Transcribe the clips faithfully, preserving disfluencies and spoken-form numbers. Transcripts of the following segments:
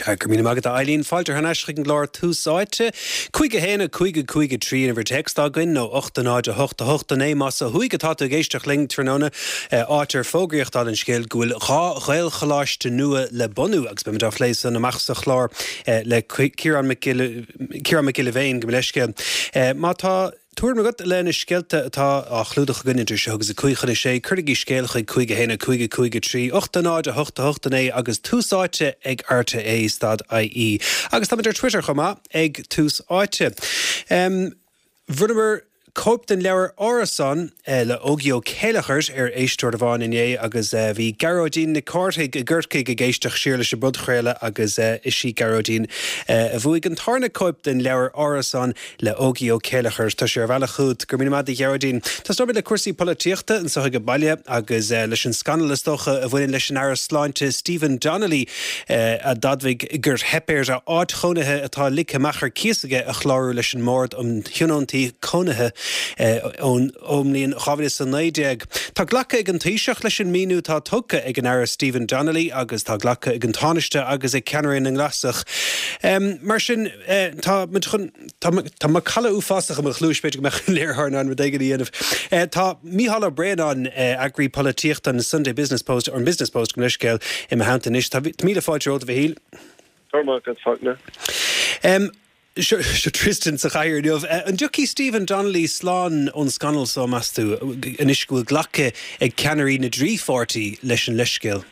Sea, go raibh míle maith agat, a Eileen. Fáilte thar n-ais chuig an gclár Tús Áite. Cúig a haon a cúig a cúig a trí an uimhir téacs atá againn, nó ocht a náid a hocht a hocht a naoi más ó thuaidh atá tú ag éisteacht linn tráthnóna, áit ar fógraíodh dála an scéil go bhfuil dhá Ghaelcholáiste nua le bunú agus beimid á phlé san amach sa chlár le Ciarán Mac Ciarán Mac Giolla Bhéin, gabh mo leithscéal. Má tá tuairim agat le na scéalta atá á chlúdach againn idir seo agus a cúig chun a sé, cuirigí scéal chuig cúig a haon a cúig a cúig a trí, ocht a náid a hocht a hocht a naoi agus Tús Áite ag R T É stad I E. Agus táimid ar Twitter chomh maith ag Tús Áite. Um, Bhronnamar cóip den leabhar Árasán eh, le Ógie Ó Céileachair ar éisteoir amháin inné agus eh, bhí Gearóidín Nic Cárthaigh i gCorcaigh ag éisteacht siar leis an bpodchraoladh agus eh, is í Gearóidín a bhuaigh an tarna cóip den leabhar Árasán le Ógie Ó Céileachair. Tá sé ar a bhealach chugat. Go raibh míle maith agat, a Ghearóidín. Tosóimid le cúrsaí polaitíochta anseo ag baile agus leis an scannal is dócha a bhaineann leis an Aire Sláinte Stephen Donnelly a d'admhaigh gur theip air a áit chónaithe atá ligthe amach ar cíos aige a chlárú leis an mBord um Thionóntaí Cónaithe ón mbliain dhá mhíle is a naoi déag. Tá glactha ag an Taoiseach leis an míniú atá tugtha ag an Aire Stephen Donnelly agus tá glactha ag an Tánaiste agus ag ceannairí na nGlasach. Um, mar sin uh, tá chun Tá macalla uafásach i mo chluais, b'fhéidir go mbeadh léiritheoir in ann rud éigin a dhéanamh. Uh, tá Mícheál Ó Braonáin, uh, eagraí polaitíochta an Sunday Business Post or Business Post, go leiscéil i theannta anois. Tá míle fáilte romhat, a Mhichíl. Um, Seo Tristan sa chathaoir inniu. An dtiocfaidh Stephen Donnelly slán ón scannal seo, meas tú, anois go bhfuil glactha ag ceannairí na dtrí pháirtí leis an leithscéal?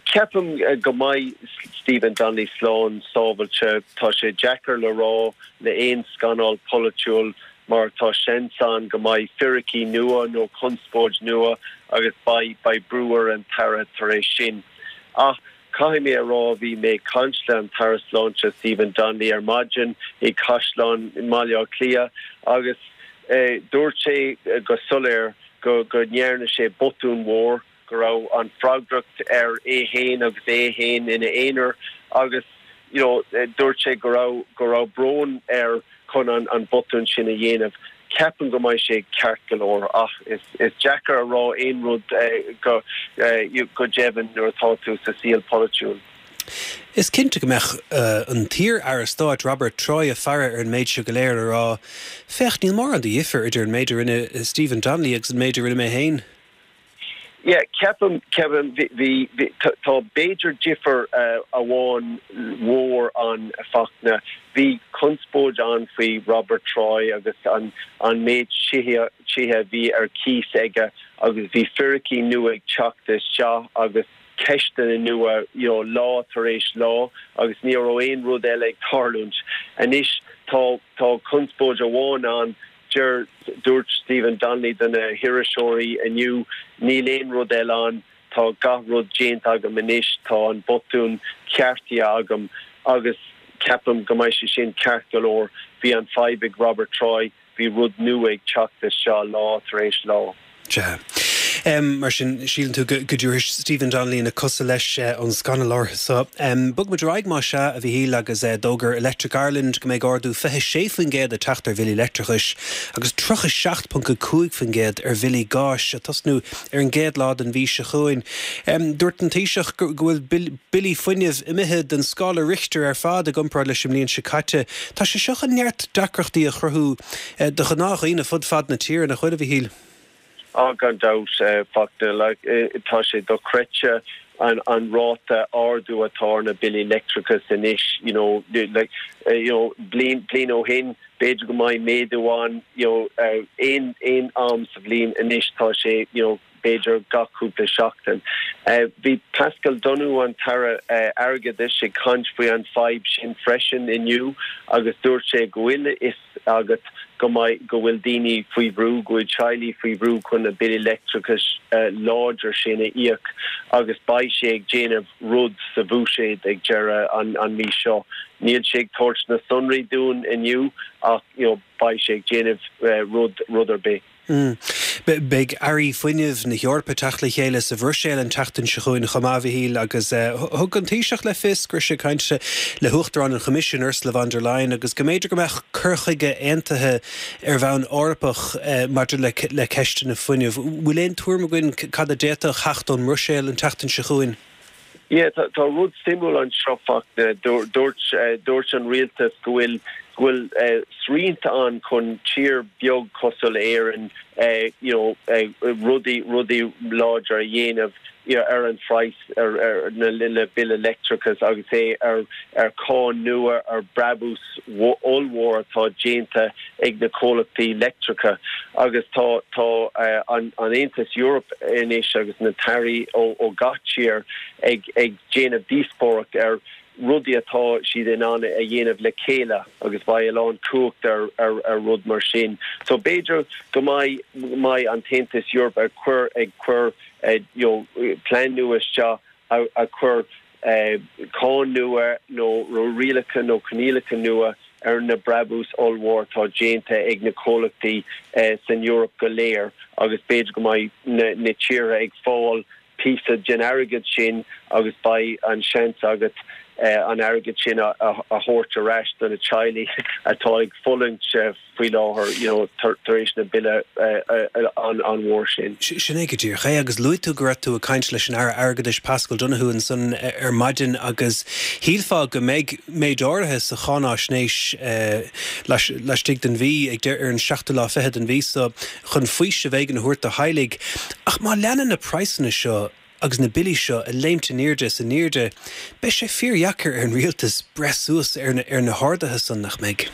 Ceapaim go mbeidh Stephen Donnelly slán sábháilte. Tá sé deacair le rá le aon scannal polaitiúil mar tá seans ann go mbeidh fíricí nua nó conspóid nua agus beidh beidh brú ar an tAire tar éis sin. Ach caithfidh mé a rá, bhí mé ag caint le an tAire Sláinte Stephen Donnelly ar maidin i gCaisleán i mBaile Átha Cliath agus eh, dúirt sé eh, go soiléir go go ndearna sé botún mór, go raibh an freagracht air é féin agus é féin ina aonar agus you know, eh, dúirt sé go raibh go raibh brón air chun an, an botún sin a dhéanamh. Ceapaim go mbeidh sé ceart go leor, ach is, is deacair a rá aon rud eh, go, eh, go deimhin nuair atá tú sa saol polaitiúil. Is cinnte go mbeadh uh, an t-iar-aire stáit Robert Troy ag faire ar an méid seo go léir ag rá, "Féach, níl mórán de dhifear idir an méid a rinne Stephen Donnelly agus an méid a rinne mé féin." Yeah, ceapaim ceapaim bhí tá b'fhéidir difear uh, amháin mhór ann, a Fhachtna. Bhí conspóid ann faoi Robert Troy agus an an méid tithe tithe bhí ar cíos aige agus bhí fíricí nua ag teacht isteach agus ceisteanna nua you know, lá tar éis lá agus ní raibh aon rud eile ag tarlúint. Anois tá tá conspóid amháin ann. Deir dúirt Stephen Donnelly do na hiriseoirí inniu, "Níl aon rud eile ann, tá gach rud déanta agam anois, tá an botún ceartaithe agam," agus ceapaim go mbeidh sé sin ceart go leor. Bhí an fadhb ag Robert Troy, bhí rud nua ag teacht isteach lá tar éis lá. Ja. Um, mar sin, síleann tú go dtabharfaidh Stephen Donnelly na cosa leis uh, ón scannal so. Um, Bogfaimid ar aghaidh más ea, a Mhichíl, agus uh, d'fhógair Electric Ireland go mbeidh ardú fiche sé faoin gcéad ag teacht ar bhillí leictreachais agus tríocha seacht ponc cúig faoin gcéad ar bhillí gáis ag tosnú ar an gcéad lá den mhí seo chugainn. Um, dúirt an Taoiseach go bhfuil billí fuinnimh imithe den scála Richter ar fad i gcomparáid leis an mbliain seo caite. Tá sé seo chun neart deacrachtaí a chruthú uh, do ghnáthdhaoine fud fad na tíre, nach bhfuil, a Mhichíl. Á, gan dabht, Fachtna, tá sé dochreidte an an ráta ardú atá na billí leictreachais anois you know like uh, you know bliain bliain ó shin b'fhéidir go mbeadh méadú ann you know uh, aon aon am sa bhliain. Anois tá sé you know b'fhéidir gach cúpla seachtain. Uh, bhí Paschal Donohoe, an tAire uh, Airgeadais, ag caint faoi an fadhb sin freisin inniu agus dúirt sé go bhfuil a fhios agat go mbeidh go bhfuil daoine faoi bhrú, go bhfuil teaghlaigh faoi bhrú chun na billí leictreachais uh, láidir sin a íoc agus beidh sé ag déanamh rud sa bhuiséad ag deireadh an, an mí seo. Níl sé ag tabhairt na sonraí dúinn inniu ach you know, beidh sé ag déanamh uh, rud rud ar bith. Mm. Beidh airí fuinnimh na hEorpa ag teacht le chéile sa Bhruiséil an tseachtain seo chugainn chomh maith, a Mhichíl, agus uh, thug an Taoiseach le fios go raibh sé ag caint le hUachtarán an Choimisiúin Ursula von der Leyen agus go mb'fhéidir go mbeadh cur chuige aontaithe ar bhonn Eorpach uh, maidir le, le ceisteanna fuinnimh. Bhfuil aon tuairim againn cad a d'fhéadfadh teacht ón mBruiséil an tseachtain seo chugainn? Yeah, tá, tá rud suimiúil anseo Fachtna dúirt dúirt an rialtas go bhfuil go bhfuil uh, srianta ann chun tír beag cosúil le Éirinn uh, you know, uh, rudaí rudaí láidir a dhéanamh you know, ar an phraghas ar, ar na le bille leictreachais agus é ar ar cáin nua ar brabús ollmhór atá déanta ag na comhlachtaí leictreacha agus tá tá uh, an, an Aontas Eorpach anois agus na tairí ó, ó gach tír ag ag déanamh díospóireacht ar rudaí atá siad in ann a dhéanamh le chéile agus beidh a lán cumhacht ar, ar, ar rud mar sin. So b'fhéidir go mbeidh mbeidh an tAontas Eorpach ag cur ag cur uh, you know, plean nua isteach a, a chur uh, cáin nua nó rialacha nó coinníollacha nua ar na brabús ollmhór atá déanta ag na comhlachtaí uh, san Eoraip go léir agus b'fhéidir go mbeidh na, na tíortha ag fáil píosa den airgead sin agus beidh an seans agat uh, an airgead sin a, a, a thabhairt ar ais do na teaghlaigh atá ag fulaingt uh, faoi láthair you know, tar, tar éis na bille uh, uh, an, an mhór sin. Sin é go díreach é agus luaigh tú go raibh tú ag caint leis an Aire Airgeadais Paschal Donohoe ansan ar maidin agus shílfeá go mbeidh méid áirithe sa cháinaisnéis uh, laistigh den mhí ag deir ar an seachtú lá fichead den mhí so chun faoiseamh éigin a thabhairt do theaghlaigh. Ach má leanann na praghsanna seo agus na billí seo ag léimt in airde is in airde, beidh sé fíordheacair ar an rialtas breith suas ar na, ar na harduithe san nach mbeidh.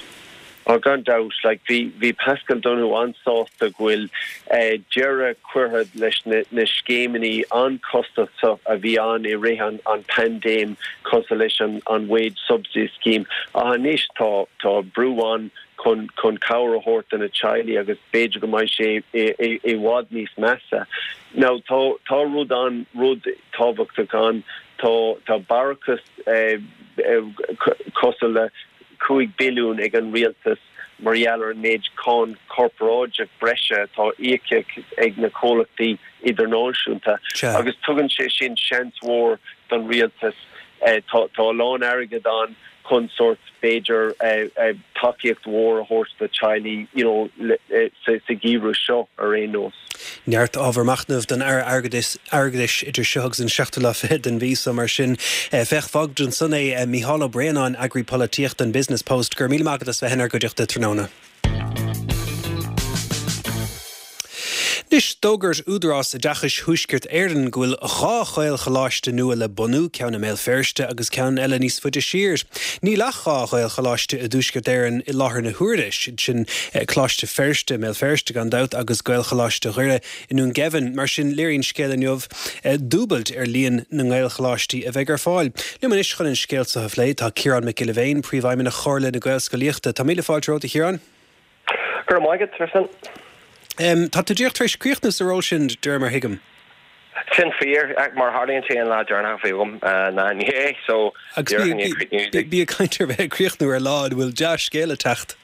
Á gan dabht like, bhí bhí Paschal Donohoe an-sásta go bhfuil uh, deireadh curtha leis na, na scéimeanna an-chostasach a bhí ann i rith an, an paindéim cosúil leis an, an wage subsidy scheme. A anois tá tá brú ann chun chun cabhair a thabhairt do na teaghlaigh agus b'fhéidir go mbeidh sé i bhfad níos measa. Now tá tá rud an rud tábhachtach ann tá tá barrachas eh, eh, cosúil le cúig billiún ag an rialtas mar gheall ar an méid cáin corparáideach breise atá íoctha ag na comhlachtaí idirnáisiúnta agus tugann sé sin seans mhór don rialtas eh, tá tá lán airgead ann chun sórt b'fhéidir eh, eh, tacaíocht mhór a thabhairt do teaghlaigh you know, eh, sa sa gheimhreadh seo ar aon nós. Neart ábhar machnaimh don Aire Airgeadais airgeadais idir seo agus an seachtú lá fichead den mhí so mar sin féach fág ansan é Mícheál Ó Braonáin eagraí polaitíochta an Business Post gur míle maith agat as bheith inár gcuideachta tráthnóna. Anois d'fhógair Údarás Oideachais Thuaisceart Éireann go bhfuil dhá Ghaelcholáiste nua le bunú ceann i mBéal Feirste agus ceann eile níos faide siar. Níl ach dhá Ghaelcholáiste i dTuaisceart Éireann i láthair na huaire sin Coláiste Feirste Béal Feirste gan dabht agus Gaelcholáiste Dhoire i nDún Geimhin, mar sin léiríonn scéal inniu dúbailt ar líon na nGaelcholáistí a bheidh ar fáil. Liom anois chun an scéal seo a phlé tá Ciarán Mac Giolla Bhéin, Príomhfheidhmeannach Chomhairle na Gaelscolaíochta. Tá míle fáilte romhat a Chiaráin? Go raibh maith agat, Tristan. Um, tá tú díreach tar éis críochnú sa ról sin de réir mar a thuigim. Sin fíor mar tharlaíonn sé an lá deireanach a bhí agam ná inné so Bí ag caint ar bheith ag críochnú ar lá bhfuil dea-scéal ag teacht.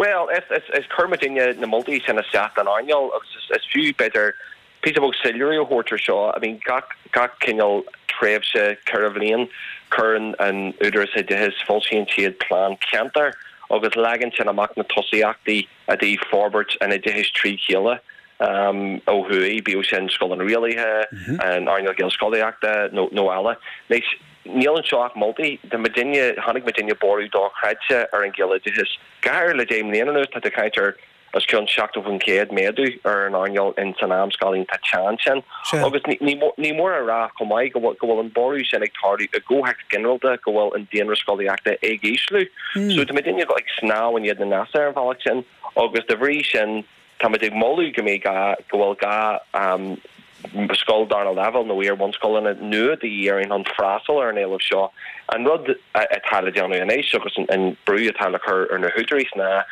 Well is is is chuir muidinne na moltaí sin isteach don earnáil agus is, is fiú b'fhéidir píosa beag soiléiriú a thabhairt ar seo I mean gach gach cineál tréimhse ceithre bhliain cuireann an Údarás Oideachais foilsíonn siad plean ceantair agus leagann sin amach na tosaíochtaí i dtaobh forbairt an oideachais trí chéile um, ó thuaidh, bíodh sin scoileanna rialaithe, mm -hmm. an earnáil Gaelscolaíochta nó, nó eile. Anois, níl anseo ach moltaí de muidinne chonaic muidinne borradh dochreidte ar an Ghaeloideachas. Go háirithe le deich mbliana anuas tá tú ag caint ar os cionn seachtó faoin chéad méadú ar an earnáil in san amscála iontach teann sin. Agus ní mór a rá chomh maith go bhfuil an borradh sin ag tarlú i gcomhthéacs ginearálta go bhfuil an daonra scolaíochta ag ísliú. So tá muidinne ag snámh in éadan na n-easa ar an bhealach sin agus de bhrí sin táimid ag moladh go mbeidh gá go bhfuil gá scoil darna leibhéal nó iar-bhunscoileanna nua de dhíth orainn chun freastal ar an éileamh seo. An rud atá le déanamh anois agus an brú atá le cur ar na húdaráis ná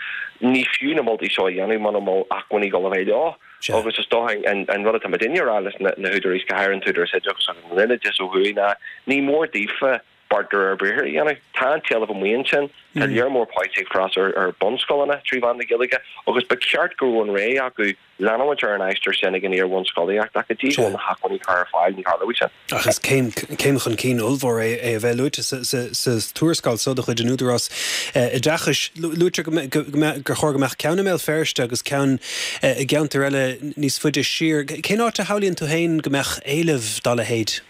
ní fiú na moltaí seo a dhéanamh muna bhfuil acmhainní ag dul a bheith leo. Agus is dócha an rud atá muidinne a rá leis na húdaráis, go háirithe an tÚdarás Oideachais agus an Roinn Oideachais ó thuaidh ná ní mór daofa beart de réir briathair a dhéanamh. Tá an t-éileamh amuigh ansin, tá lear mór páistí ag freastal ar bunscoileanna trí mheán na Gaeilge agus ba cheart go raibh an rogha acu leanúint ar an aistear sin ag an iar-bhunscolaíocht ach go dtí go bhfuil na hacmhainní curtha ar fáil ní tharlóidh sin. Ach is céim céim chun cinn ollmhór é é a bheith luaite sa sa sa tuarascáil so de chuid an Údarás Oideachais. Luaitear go go gur chóir go mbeadh ceann i mBéal Feirste agus ceann i gceantar eile níos faide siar. Cén áit a shamhlaíonn tú féin go mbeadh éileamh dá leithéid?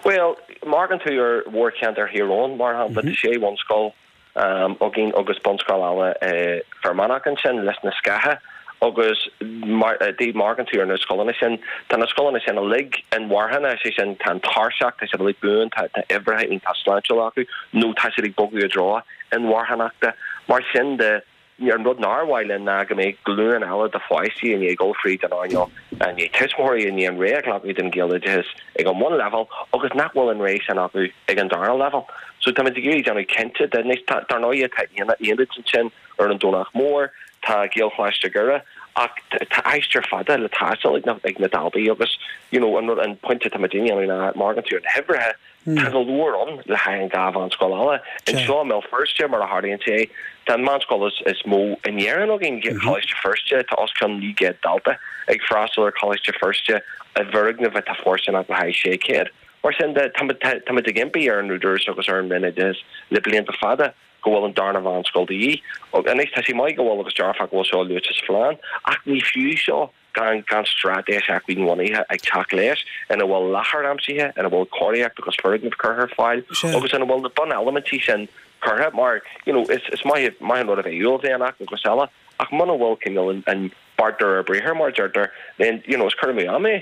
Well, amharcann tú ar mhórcheantar Thír Eoghain mar shampla tá sé bhunscoil um, againn agus bunscoil eile uh, Fear Manach ansin Lios na Scátha agus mar uh, dá amharcann tú ar na scoileanna sin tá na scoileanna sin uilig inmharthana sé sin tá an tairseach tá siad uilig buan tá tá uimhreacha iontach sláintiúil acu nó tá siad ag bogadh i dtreo inmharthanachta mar sin de an rud nár mhaith linn ná go mbeidh glúin eile de pháistí i ndiaidh dul fríd an earnáil i ndiaidh tuismitheoirí i ndiaidh an rogha a ghlacadh den Ghaeloideachas ag an mbunleibhéal agus nach bhfuil an rogha sin acu ag an dara leibhéal. So tá ag iarraidh déanamh cinnte de dar ndóigh tá aonad ansin ar an Domhnach Mór, tá Gaelcholáiste Dhoire ach tá aistear fada le taisteal ag na ag na daltaí agus you know, an rud an pointe tá daoine ná mar tú an huimhrithe Tá go leor ann le haghaidh an dhá mheánscoil eile. Anseo i mBéal Feirste mar a tharlaíonn sé tá an mheánscoil is, is mó in Éirinn againn Coláiste Feirste tá os cionn naoi gcéad dalta ag freastal ar Choláiste Feirste i bhfoirgneamh atá fóirsteanach le haghaidh sé chéad. Mar sin de tá ag impí ar an Údarás agus ar an Roinn Oideachais le blianta fada go bhfuil an darna mheánscoil de dhíth. Anois tá sé maith go bhfuil agus dearfach go bhfuil seo luaite sa phlean, ach ní fiú seo gan gan straitéis acmhainn-bhunaithe ag teacht leis ina bhfuil láthair aimsithe, ina bhfuil cóiríocht agus foirgnimh curtha ar fáil agus ina bhfuil na buneilimintí sin curtha mar you know, is, is maith maith an rud a bheith uaillmhianach agus eile ach muna bhfuil cineál an, an beart de réir briathair mar deirtear then you know, is cur amú ama é.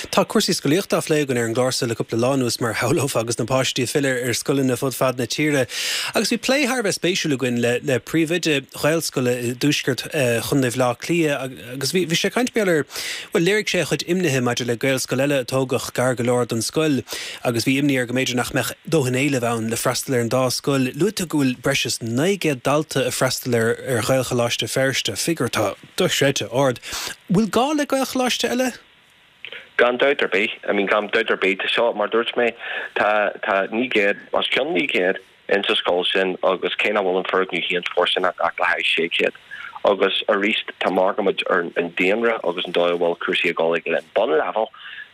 Tá cúrsaí scolaíochta á phlé againn ar an gclár seo le cúpla lá anuas mar shamhlófá agus na páistí ag filleadh ar scoileanna fud fad na tíre. Agus bhí plé thar a bheith spéisiúil againn le, le príomhoide Ghaelscoile i dtuaisceart eh, Chontae Bhaile Átha Cliath agus bhí sé ag caint mar well léirigh sé a chuid imnithe maidir le Gaelscoil eile a tógadh gar go leor don scoil agus bhí imní air go mb'fhéidir nach mbeadh dóthain éilimh ann le freastal ar an dá scoil. Luaigh tú go bhfuil breis is naoi gcéad dalta ag freastal ar ar Ghaelcholáiste Feirste, figiúr atá dochreidte ard. Bhfuil gá le Gaelcholáiste eile? Gan dabht ar bith, I mean gan dabht ar bith tá seo mar dúirt mé tá tá naoi gcéad os cionn naoi gcéad in sa scoil sin agus cé nach bhfuil an foirgneamh féin fóirsteanach ach le haghaidh sé chéad. Agus arís tá amharcaimid ar an daonra agus an dóigh a bhfuil cúrsaí ag dul ag an bunleibhéal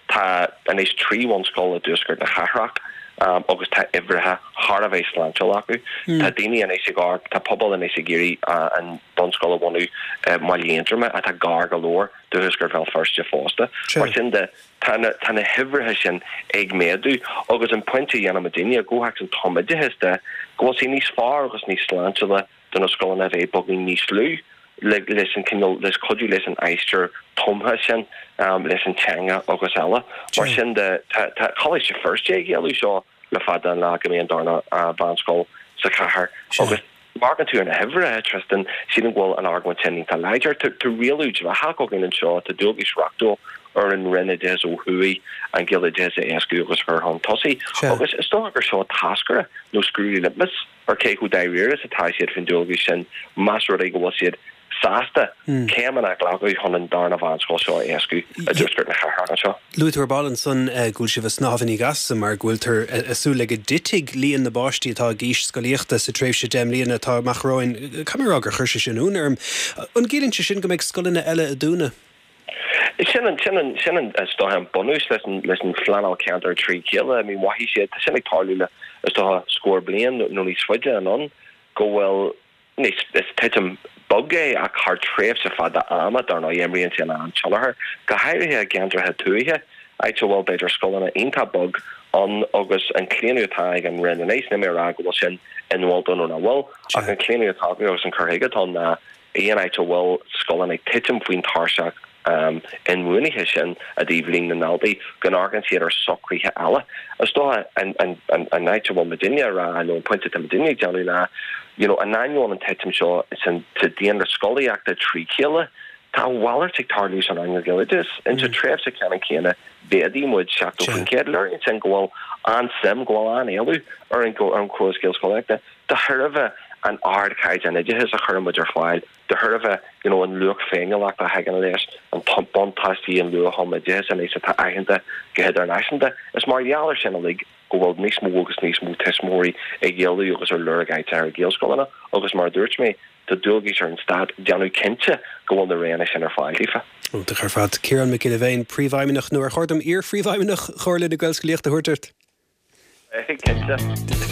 tá anois trí bhunscoil i dtuaisceart na cathrach um, agus tá uimhreacha thar a bheith sláintiúil acu. Mm. Tá daoine anois ag amharc tá pobal anois ag iarraidh uh, an bunscoil a bhunú uh, Baile Aontroma atá gar go leor do thuaisceart Bhéal Feirste fosta. Mar sin de tá na, tá na huimhreacha sin ag méadú agus an pointe dhéanamh daoine go an tumoideachas de go bhfuil sé níos fearr agus níos sláintiúla do na scoileanna bheith beagáinín níos lú le leis an cineál leis cuidiú leis an aistear tumtha sin um, leis an teanga agus eile. Mar sin de tá Coláiste Feirste ag éileamh seo le fada an lá go mbeidh an darna uh, mheánscoil sa chathair agus mar tú an huimhrithe Tristan sílim go bhfuil an argóint sin tá láidir tá rialú dleathach againn anseo tá dualgas reachtúil ar an Roinn Oideachais ó thuaidh an Gaeloideachas a éascú agus chur chun tosaigh agus is dócha gur seo táscaire nó scrúdú litmus ar cé chomh dáiríre is atá siad faoin dualgas sin más rud é go bhfuil siad sásta hmm. céimeanna a ghlacadh chun an darna mheánscoil seo a éascú i dtuaisceart na cathrach anseo. Luaigh tú ar ball ansan eh, go bhfuil sibh ag snámh in éageasa mar go bhfuiltear ag súil le go dtitfidh líon na bpáistí atá ag aois scolaíochta sa tréimhse deich mbliana atá amach romhainn caithfidh mé a rá gur chuir sé sin ionadh orm. An gciallaíonn sé sin go mbeidh scoileanna eile ag dúnadh? Sin an sin an sin an is dócha an bunús leis an leis an phleanáil ceantar trí chéile, I mean mhothaigh siad tá sin ag tarlú le is dócha scór bliain nó níos faide anonn go bhfuil níos is titim bog é ach thar tréimhse fada ama dar ndóigh imríonn sé an-tionchar, go háirithe i gceantracha tuaithe, áit a bhfuil b'fhéidir scoileanna iontach beag ann agus an claonadh atá ag an Roinn anois, níl mé ag rá go bhfuil sin inmholta nó nach bhfuil, ach an claonadh atá acu agus an cur chuige atá ann ná aon áit a bhfuil scoileanna ag titim faoin tairseach um, inbhuanaithe sin i dtaobh líon na ndaltaí go n-amharcann siad ar socruithe eile. Is dócha an, an, an, an áit a bhfuil muidinne ag rá nó an pointe atá muidinne ag déanamh ná you know, in ainneoin an titim seo san sa daonra scolaíochta trí chéile, tá a mhalairt ag tarlú san earnáil Ghaeloideachais. Insa tréimhse ceannann céanna mhéadaigh muid seachtó faoin gcéad. Léiríonn sin go bhfuil an-suim, go bhfuil an-éileamh ar an ar an gcóras Gaelscolaíochta de thairbhe an ardchaighdeán oideachais a chuireann muid ar fáil, de thairbhe you know, an luach féiniúlachta a thagann leis, an buntáistí an luath-thumoideachais anois atá aitheanta go hidirnáisiúnta. Is mar gheall air sin uilig go bhfuil níos mó agus níos mó tuismitheoirí ag éileamh agus ar lorg áit ar Ghaelscoileanna agus mar a dúirt mé, tá dualgas ar an stát déanamh cinnte go bhfuil na roghanna sin ar fáil daofa. Iontach ar fad. Ciarán Mac Giolla Bhéin, Príomhfheidhmeannach nó ar chóir dom iar-phríomhfheidhmeannach Chomhairle na Gaelscolaíochta a thabhairt ort? Cinnte.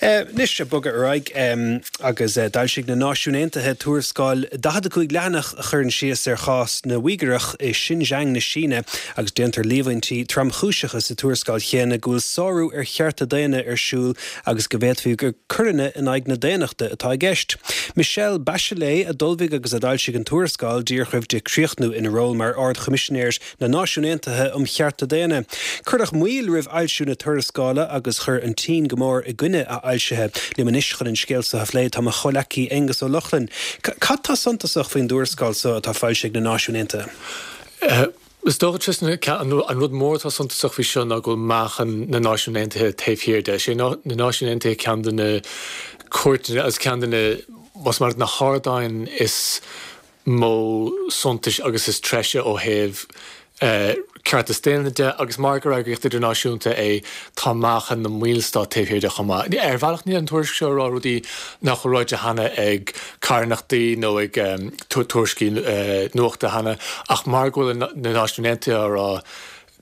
Anois ag bogadh ar aghaidh agus d'fhoilsigh na Náisiúin Aontaithe tuarascáil daichead a cúig leathanach a chuireann síos ar chás na Uígearach i Xinjiang na Síne agus déantar líomhaintí tromchúiseacha sa tuarascáil chéanna go bhfuil sárú ar chearta daonna ar siúl agus go bhféadfaí gur coireanna in aghaidh na daonnachta atá i gceist. Michelle Bachelet a d'ullmhaigh agus a d'fhoilsigh an tuarascáil díreach roimh di críochnú ina ról mar Ard-Choimisinéir na Náisiún Aontaithe um Chearta Daonna. Cuireadh moill roimh fhoilsiú na tuarascála agus chuir an tSín go mór i gcoinne a fhoilsithe. Liom anois chun an scéal seo a phlé tá mo chomhghleacaí Aengus Ó Lochlainn. Cad tá suntasach faoin dtuarascáil seo atá foilsithe ag na Náisiúin Aontaithe? Is dócha an rud mór atá suntasach faoi seo ná go bhfuil meáchan na Náisiún Aontaithe taobh thiar de. Sé na Náisiúin Aontaithe ceann de na cúirteanna agus ceann de na más mar na hardáin is mó suntais agus is treise ó thaobh ceartas daonna de agus mar gur eagraíocht idirnáisiúnta é tá meáchan na mballstát taobh thiar de chomh maith. Ar bhealach níl an tuairisc seo ag rá rudaí nach bhfuil ráite cheana ag carthanachtaí nó ag tuairiscí nuachta cheana ach mar go bhfuil na Náisiúin Aontaithe á rá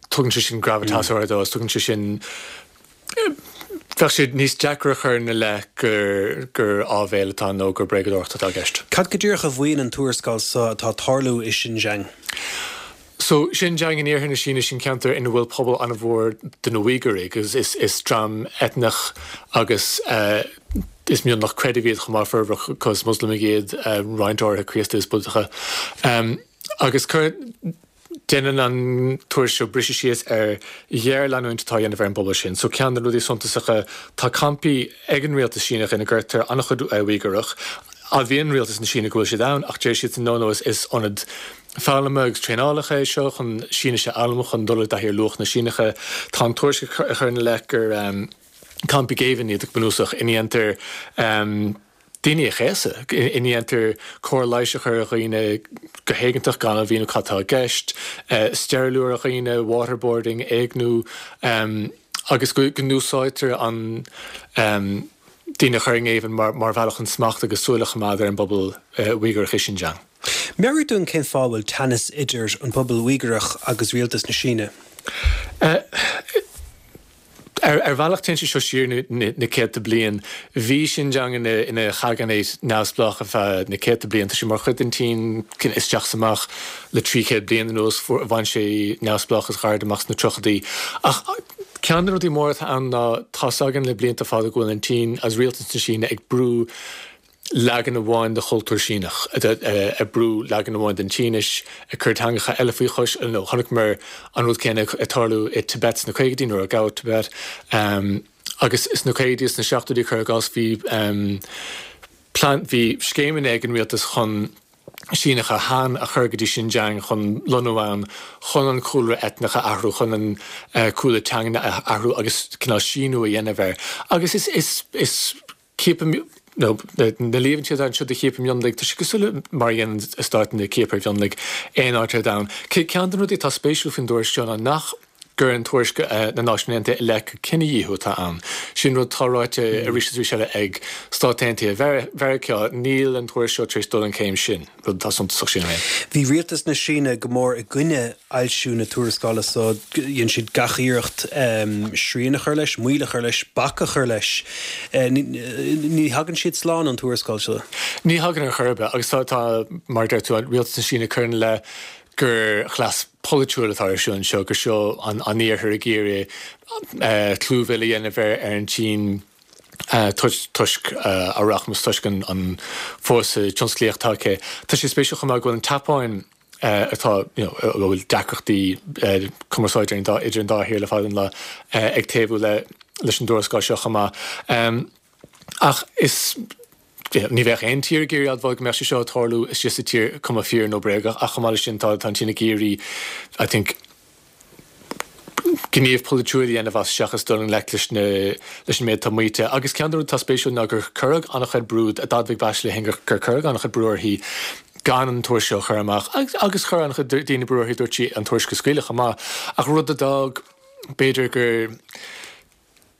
tugann sé sin gravitas áirithe dó agus tugann sé sin Bheadh sé níos deacra a chur ina leith gur gur áibhéil atá nó gur bréagadóireacht atá i gceist. Cad go díreach a mhaíonn an tuarascáil seo atá ag tarlú i Xinjiang? So Xinjiang in iarthar na Síne sin ceantar ina bhfuil pobal an-mhór de na Uígúraigh agus is is dream eitneach agus uh, is mionlach creidimh iad chomh maith formhór acu is Moslamaigh iad uh, roinnt áirithe Críostaí is Búdacha. Um, agus cur Déanann an tuairisc seo briseadh síos ar ghéarleanúint atá á dhéanamh ar an bpobal sin. So ceann de na rudaí suntasacha, tá campaí ag an rialtas Síneach ina gcuirtear an-chuid Uígúrach. Admhaíonn rialtas na Síne go bhfuil siad ann ach deir siadsan no no is ionad foghlama agus traenálacha é seo chun Sínis a fhoghlaim chun dul i dtaithí ar luachanna Síneacha. Tá an tuairisc ag cur ina leith gur campaí géibhinn iad go bunúsach ina ndéantar daoine a chéasadh, ina ndéantar cóir leighis a chur ar dhaoine go héigeantach gan a mhíniú cad tá i gceist, steiriliú ar dhaoine, waterboarding, éigniú agus go n-úsáidtear an daoine a chur i ngéibheann mar bhealach chun smacht agus súil a choimeád ar an bpobal Uígearach i Xinjiang. Meabhraigh dúinn cén fáth a bhfuil teannas idir an pobal Uígearach agus rialtas na Síne. Ar bhealach téann sé seo siar na céadta bliain. Bhí Xinjiang ina chaganate neamhspleách ar feadh na céadta bliain. Tá sé mar chuid den tSín isteach is amach le trí chéad bliain anuas. Bhain sé neamhspleáchas gairid amach sna tríochaidí. Ach ceann de na rudaí móra atá ann ná tá's againn le blianta fada go bhfuil an tSín agus rialtas na Síne ag brú leagan amháin de chultúr Síneach, ag brú leagan amháin den tSínis, ag cur teangacha eile faoi chois, nó chonaiceamar an rud céanna ag tarlú i Tibet sna caogaidí nuair a gabhadh Tibet. Agus sna caogaidí is sna seachtóidí cuir i gcás bhí plean, bhí scéimeanna ag an rialtas chun Síneacha Han a chur go dtí Xinjiang chun lonnú ann, chun an cúlra eitneach a athrú, chun an cúlra teanga a athrú agus cineál síniú a dhéanamh air. Agus is, is, is ciapadh, nó na líomhaintí atá anseo de chiapadh mionlaigh, tá sé cosúil le mar a dhéanann stáit ciapadh ar mhionlaigh aon áit ar domhan. Ceann de na rudaí atá spéisiúil faoin dtuairisc seo ná nach gcuireann tuairisc na Náisiún Aontaithe i leith gur cinedhíothú atá ann. Sin rud atá ráite arís is arís eile ag Stáit Aontaithe Mheiriceá. Níl an tuairisc seo tar éis dul an chéim sin, rud atá suntasach sílim féin. Bhí rialtas na Síne go mór i gcoinne fhoilsiú na tuarascála so, dhein siad gach iarracht srian a chur leis, moill a chur leis, bac a chur leis. Ní thagann siad slán ón tuarascáil seo. Ní thagann ar chor ar bith agus tá, tá, mar a deir tú, rialtas na Síne ag cur ina leith gur chleas polaitiúil atá ar siúl anseo, gur seo an an iarthar ag iarraidh clúmhilleadh a dhéanamh ar ar an tSín toisc a rachmas, toisc an fórsa tionsclaíoch atá aici. Tá sé spéisiúil chomh maith go bhfuil an tSeapáin, atá, you know, a bhfuil deacrachtaí cumarsáide idir an dá thír le fada an lá, ag taobhú le leis an dtuarascáil seo chomh maith. Ach is, ní bheadh aon tír ag iarraidh admháil go mbeadh sé seo ag tarlú istigh sa tír, cuma fíor nó bréagach, ach chomh maith leis sin tá an tSín ag iarraidh, I think, gníomh polaitiúil a dhéanamh as seachas dul i ngleic leis na leis an méid atá maíte. Agus ceann de na rudaí atá spéisiúil ná gur cuireadh an-chuid brú, d'admhaigh Bachelet féin gur gur cuireadh an-chuid brú uirthi gan an tuairisc seo a chur amach agus agus chuir an-chuid daoine brú uirthi, dúirt sí, an tuairisc a scaoileadh chomh maith. Ach rud a d'fhág, b'fhéidir, gur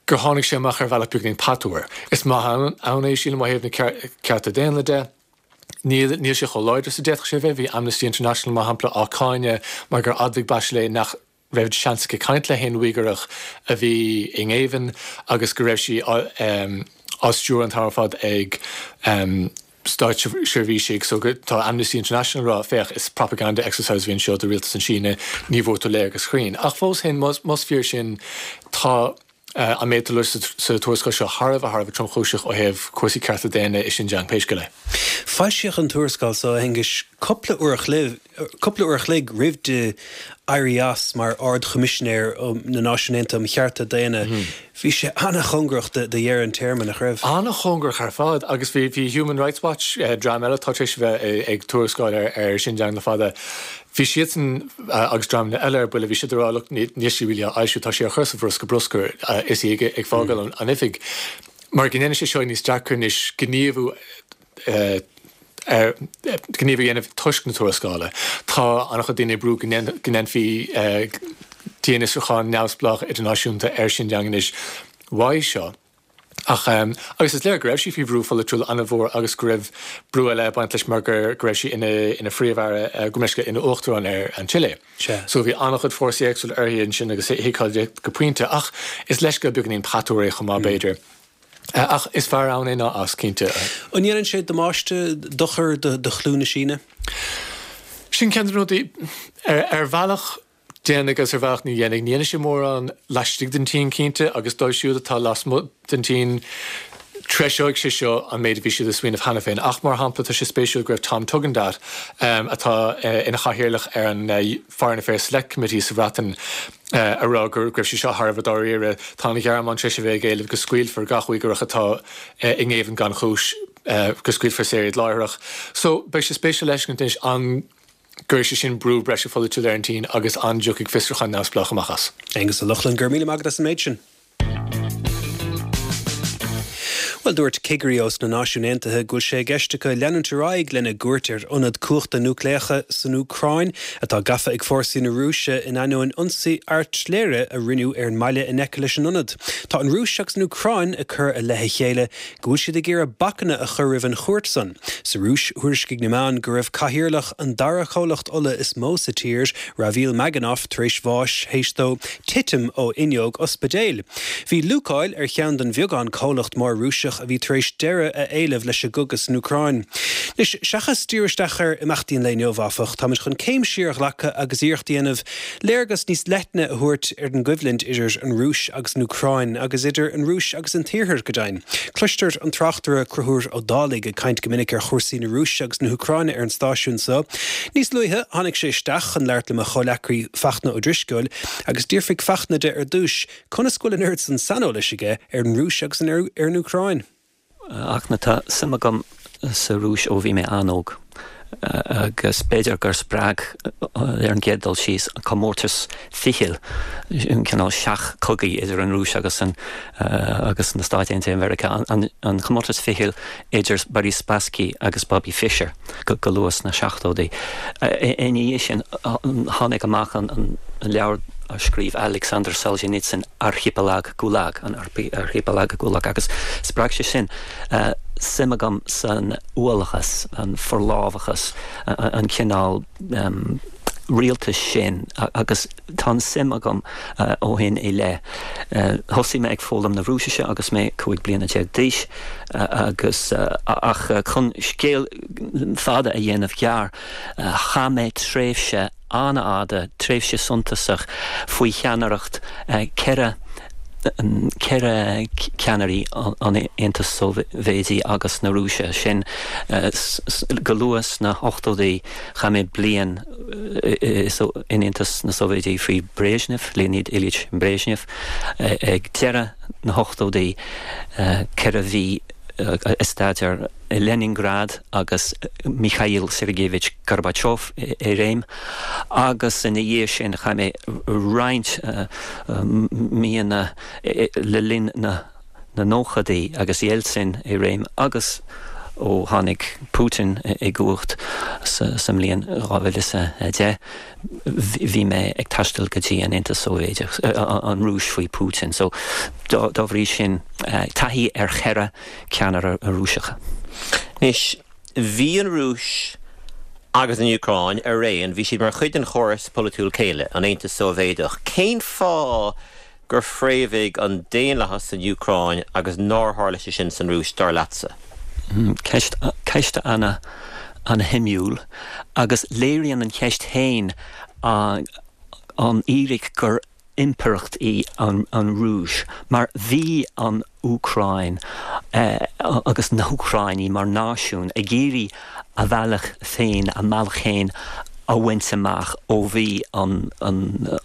gur tháinig sé amach ar bhealach beagainín patuar. Is maith ann é, sílim, ó thaobh na cearta daonna de. Níl níl sé chomh láidir is a d'fhéadfadh sé a bheith. Bhí Amnesty International, mar shampla, á cáineadh mar gur admhaigh Bachelet nach raibh seans aici caint le haon Uígearach a bhí i ngéibheann agus go raibh sí á á stiúradh an t-am ar fad ag státseirbhísigh so tá Amnesty International ag rá féach is propaganda exercise a bhí anseo do rialtas na Síne ní bhfuair tú léargas cruinn. Ach fós féin más fíor sin tá an méid atá sa tuarascáil seo thar a bheith thar a bheith tromchúiseach ó thaobh cúrsaí cearta daonna i Xinjiang pé scéal é. Foilsíodh an tuarascáil seo a Aonghuis cúpla uair a chloig cúpla uair a chloig roimh di éirí as mar Ard-Choimisinéir na Náisiún Aontaithe um Chearta Daonna. Bhí sé an-chóngarach do dheireadh an téarma, nach raibh? An-chóngarach ar fad agus bhí bhí Human Rights Watch, dream eile atá tar éis a bheith ag tuarascáil ar ar Xinjiang le fada, bhí siadsan agus dreamanna eile ar buile, bhí siad ag rá look níl sí really á fhoilsiú, tá sí á chur sa bhosca bruscair is í ag fágáil an oifig. Mar go ndéanann sé seo níos deacra anois gníomhú ar gníomh a dhéanamh toisc na tuarascála. Tá an-chuid daoine ag brú go ndéanfaí dianfhiosrúchán neamhspleách idirnáisiúnta ar Xinjiang anois uaidh seo. Ach agus is léir go raibh sí faoi bhrú pholaitiúil an-mhór agus go raibh brú eile ag baint leis mar go raibh sí ina phríomh-aire, go mbeidh ina uachtarán ar an Chile. So bhí an-chuid fórsaí éagsúla uirthi ansin agus thuigfeá di go pointe. Ach is leithscéal beagáinín patuar é chomh maith b'fhéidir. Ach is fearr ann é ná as, cinnte. An ndéanann sé damáiste, dochar do chlú na Síne? Sin ceann de na rudaí. Ar bhealach, déanfaidh agus ar bhealach ní dhéanfaidh. Ní dhéanfaidh sé mórán laistigh den tSín, cinnte, agus dóibh siúd atá lasmuigh den tSín, treiseoidh sé seo an méid a bhí siad ag smaoineamh cheana féin. Ach, mar shampla, tá sé spéisiúil go raibh Tom Tugendhat, atá ina chathaoirleach ar an Foreign Affairs Select Committee sa Bhreatain, a rá go raibh sé seo thar a bheith dáiríre. Tá an Ghearmáin tar éis a bheith ag éileamh go scaoilfear gach Uígearach atá i ngéibheann gan chúis, go scaoilfear saor iad láithreach. So, beidh sé spéisiúil le feiscint anois an gcuirfidh sé sin brú breise pholaitiúil ar an tSín agus an dtiocfaidh fiosrúchán neamhspleách amach as. Aonghus Ó Lochlainn, go raibh míle maith agat as an méid sin. Bhuel, dúirt cigirí ós na Náisiúin Aontaithe go bhfuil sé i gceist acu leanúint ar aghaidh lena gcuairt ar ionad cumhachta núicléacha san Úcráin atá gafa ag fórsaí na Rúise in ainneoin ionsaí airtléire a rinneadh ar an mbaile in aice leis an ionad. Tá an Rúis agus an Úcráin ag cur i leith a chéile go bhfuil siad ag iarraidh bacanna a chur roimh an chuairt san. Sa Rúis, thuairiscigh na meáin go raibh cathaoirleach an dara comhlacht ola is mó sa tír, Ravil Maganov, tar éis bháis théis dó titim ó fhuinneog ospidéil. Bhí Lukoil ar cheann den bheagán comhlacht mór Rúiseach a bhí tar éis deireadh a éileamh leis an gcogadh san Úcráin. Anois, seachas díriú isteach ar imeachtaí an lae inniu, áfach, táimid chun céim siar a ghlacadh agus iarracht a dhéanamh léargas níos leithne a thabhairt ar an gcoimhlint idir an Rúis agus an Úcráin, agus idir an Rúis agus an tIarthar, go deimhin. Cloistear an tráchtaire Conchúr Ó Dálaigh ag caint go minic ar chúrsaí na Rúise agus na hÚcráine ar an stáisiún seo. Níos luaithe, tháinig sé isteach chun labhairt le mo chomhleacaí Fachtna Ó Drisceoil, agus d'fhiafraigh Fachtna de ar dtús conas go bhfuil an oiread san saineolais aige ar an Rúis agus ar an Úcráin. A Fhachtna, tá suim agam sa Rúis ó bhí mé an-óg agus b'fhéidir gur spreag ar an gcéad dul síos an comórtas fichille, an cineál seach-chogaidh idir an Rúis agus an agus na Stáit Aontaithe Mheiriceá, an comórtas fichille idir Boris Spassky agus Bobby Fischer go luath sna seachtóidí. Ina dhiaidh sin tháinig amach an leabhar a scríobh Alexander Solzhenitsyn Archipelag Gulag, an Archipelag Gulag, agus spreag sé sin suim agam san uathachas, an forlámhachas, an cineál rialtais sin agus tá an suim agam ó shin i leith. Thosaigh mé ag foghlaim na Rúisise agus mé cúig bliana déag d'aois agus ach chun scéal fada a dhéanamh gearr, chaith mé tréimhse an-fhada, tréimhse suntasach faoi cheannaireacht ceithre ceithre ceannairí an Aontais Sóivéadaigh agus na Rúise, sin go luath sna hochtóidí chaith mé bliain in Aontas na Sóivéadaí faoi Brezhnev, Leonid Ilyich Brezhnev, ag deireadh na hochtóidí, ceithre mhí ag staidéar i Leningrad agus Mikhail Sergeyevich Gorbachev i réim agus ina dhiaidh sin chaith mé roinnt míonna le linn na nóchaidí agus Yeltsin i réim agus ó tháinig Putin i gcumhacht sa mbliain dhá mhíle is a deich bhí mé ag taisteal go dtí an Aontas Sóivéadach, an Rúis faoi Putin. So dá bhrí sin taithí ar cheithre ceannaire Rúiseacha. Anois, bhí an Rúis agus an Úcráin araon, bhí siad mar chuid den chóras polaitiúil céile, an Aontas Sóivéadach. Cén fáth gur fréamhaigh an daonlathas san Úcráin agus nár tharla sé sin san Rúis, dar leatsa? Ceist, ceist ana, ana-shuimiúil agus léiríonn an cheist féin an fhíric gur impireacht í an an Rúis mar bhí an Úcráin agus na hÚcráinigh mar náisiún ag iarraidh a bhealach féin, a mbealach féin a bhaint amach ó bhí an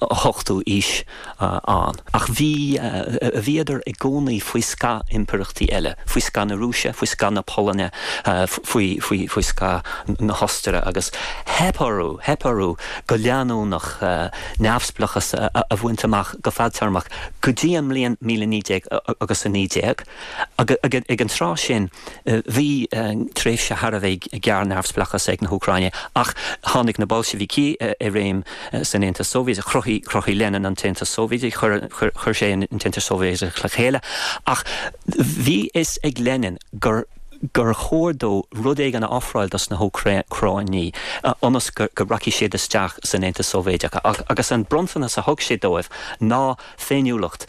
ochtú aois ann. Ach bhí, bhíodar i gcónaí faoi scáth impireachtaí eile, faoi scáth na Rúise, faoi scáth na Polainne, faoi, faoi, faoi scáth na hOstaire agus theip orthu, theip orthu go leanúnach neamhspleáchas a bhaint amach go fadtéarmach go dtí an mbliain míle naoi déag agus a naoi déag. Ag an tráth sin bhí tréimhse thar a bheith gearr neamhspleáchas ag na hÚcráinigh ach tháinig na Boilsibhicigh i réim san Aontas Sóivéadach, chruthaigh, chruthaigh Lenin an tAontas Sóivéadach, chuir, chuir sé an tAontas Sóivéadach le chéile ach bhí fhios ag Lenin gur gur chóir dó rud éigin a ofráil dos na hÚcráinigh ionas go rachaidh siad isteach san Aontas Sóivéadach agus an bronntanas a thug sé dóibh ná féiniúlacht,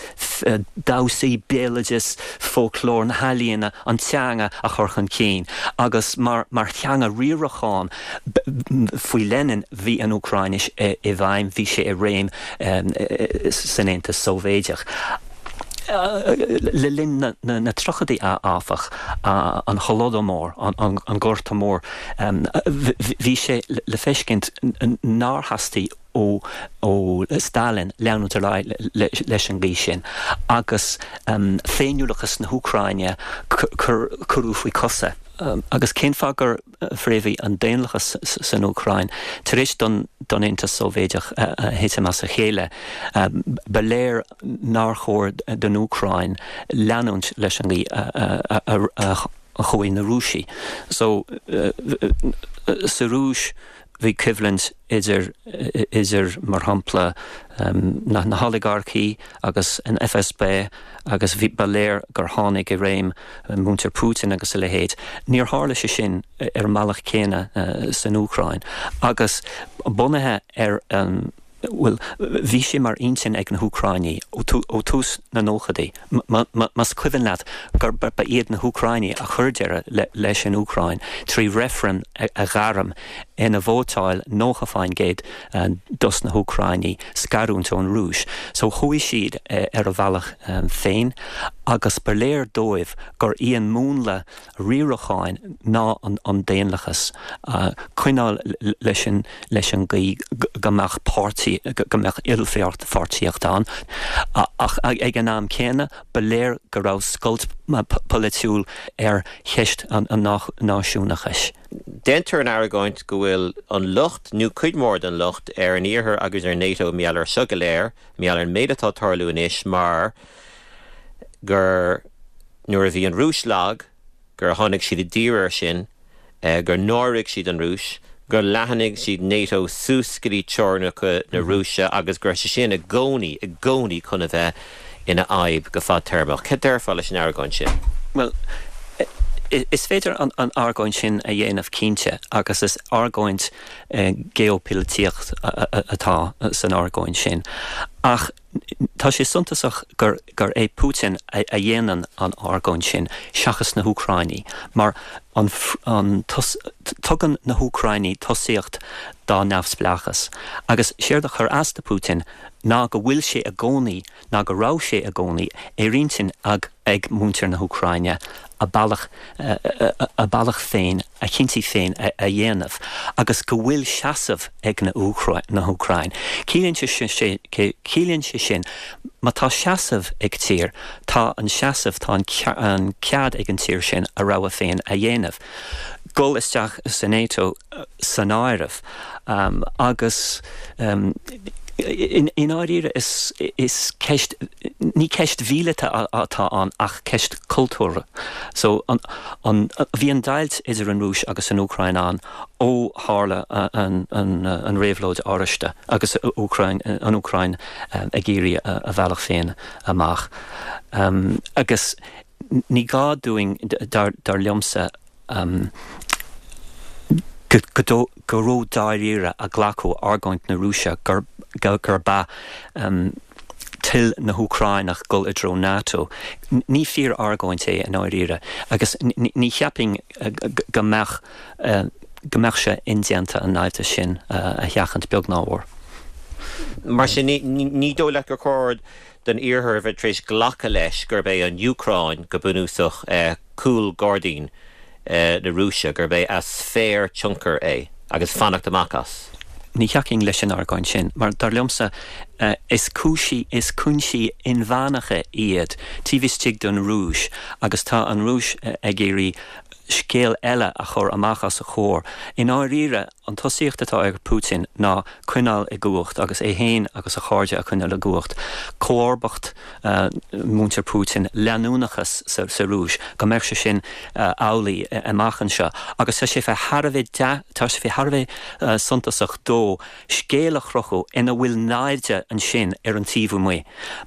damhsaí, béaloideas, fóclór, na healaíona, an teanga a chur chun cinn agus mar mar theanga riaracháin faoi Lenin bhí an Úcráinis i bhfeidhm, bhí sé i réim san Aontas Sóivéadach. Le linn na dtríochaidí áfach, an Holodomor, an Gorta Mór, bhí sé le feiscint nár theastaigh ó Stalin leanúint ar aghaidh leis an gcaoi sin agus féiniúlachas na hÚcráine cuireadh faoi chosa. Agus cén fáth gur fréamhaigh an daonlathas san Úcráin tar éis don Aontas Sóivéadach thitim as a chéile? Ba léir nár chóir don Úcráin leanúint leis an gcaoi a chuaigh na Rúisigh. So, sa Rúis bhí coimhlint idir, idir mar shampla, na na holigarcaí agus an F S B agus bhí, ba léir gur tháinig i réim muintir Putin agus a leithéid. Níor tharla sé sin ar an mbealach céanna san Úcráin agus bunaithe ar an, bhuel, bhí sé mar intinn ag na hÚcráinigh ó thús na nóchaidí, más cuimhin leat, gur ba iad na hÚcráinigh a chuir deireadh leis an Úcráin trí reifreann a ghairm ina vótáil nócha faoin gcéad dos na hÚcráinigh scarúint ón Rúis. So chuaigh siad ar a bhealach féin agus ba léir dóibh gur í an múnla riaracháin ná an daonlathas, coinneáil leis an leis an gcaoi go mbeadh páirtí, go mbeadh ilpháirtíocht ann. Ach ag an am céanna, ba léir go raibh scoilt pholaitiúil ar cheist an náisiúnachais. Déantar an argóint go bhfuil an locht, nó cuid mhór den locht, ar an Iarthar agus ar NATO mar gheall air seo go léir, mar gheall ar an méid atá ag tarlú anois mar gur nuair a bhí an Rúis lag, gur tháinig siad i dtír air sin, gur náirigh siad an Rúis, gur leathnaigh siad NATO suas go dtí teorainneacha na Rúise agus go raibh sé sin i gcónaí, i gcónaí chun a bheith ina fhadhb go fadtéarmach. Cad déarfá leis an argóint sin? Bhuel, is féidir an argóint sin a dhéanamh cinnte agus is argóint geopolaitíocht atá san argóint sin. Ach tá sé suntasach gur gur é Putin a a dhéanann an argóint sin seachas na hÚcráinigh, mar an an tugann na hÚcráinigh tosaíocht dá neamhspleáchas. Agus séard a chuir as do Putin ná go bhfuil sé i gcónaí, ná go raibh sé i gcónaí, ar intinn ag ag muintir na hÚcráine a bealach a bealach féin, a chinntí féin a dhéanamh agus go bhfuil seasamh ag na na hÚcráin. Ciallaíonn sé ciallaíonn sé sin má tá seasamh ag tír, tá an seasamh tá an cead ag an tír sin a rogha féin a dhéanamh. Dul isteach sa NATO san áireamh agus i ndáiríre is is ceist ní ceist mhíleata atá ann ach ceist cultúrtha. So an an bhí an deighilt idir an Rúis agus an Úcráin ann ó tharla an an an réabhlóid oráiste agus Úcráin an Úcráin ag iarraidh a bhealach féin amach. Um, agus ní gá dúinn dar dar liomsa um, go go ró-dáiríre a ghlacadh argóint na Rúise gur gur ba um, toil na hÚcráineach dul i dtreo NATO. Ní fíor-argóint é i ndáiríre agus ní cheapfainn go mbeadh go mbeadh sé indéanta an naimhdeas sin a sheachaint beag ná mór. Mar sin ní dóigh leat gur chóir don Iarthar a bheith tar éis glacadh leis gurb é an Úcráin go bunúsach cúl gairdín na Rúise, gurb é a sféar tionchair é agus fanacht amach as. Ní thiocfainn leis an argóint sin, mar dar liomsa is cúinsí is cúinsí inmheánacha iad taobh istigh den Rúis agus tá an Rúis ag iarraidh scéal eile a chur amach os a chomhair. I ndáiríre, an tosaíocht atá ag Putin ná coinneáil i gcumhacht agus é féin agus a chairde a choinneáil i gcumhacht. Comharbacht muintir Putin, leanúnachas sa Rúis, go mbeadh sé sin amhlaidh amach anseo. Agus tá sé fé thar a bheith tá sé fé thar a bheith suntasach dó scéal a chruthú ina bhfuil naimhde ansin ar an taobh amuigh.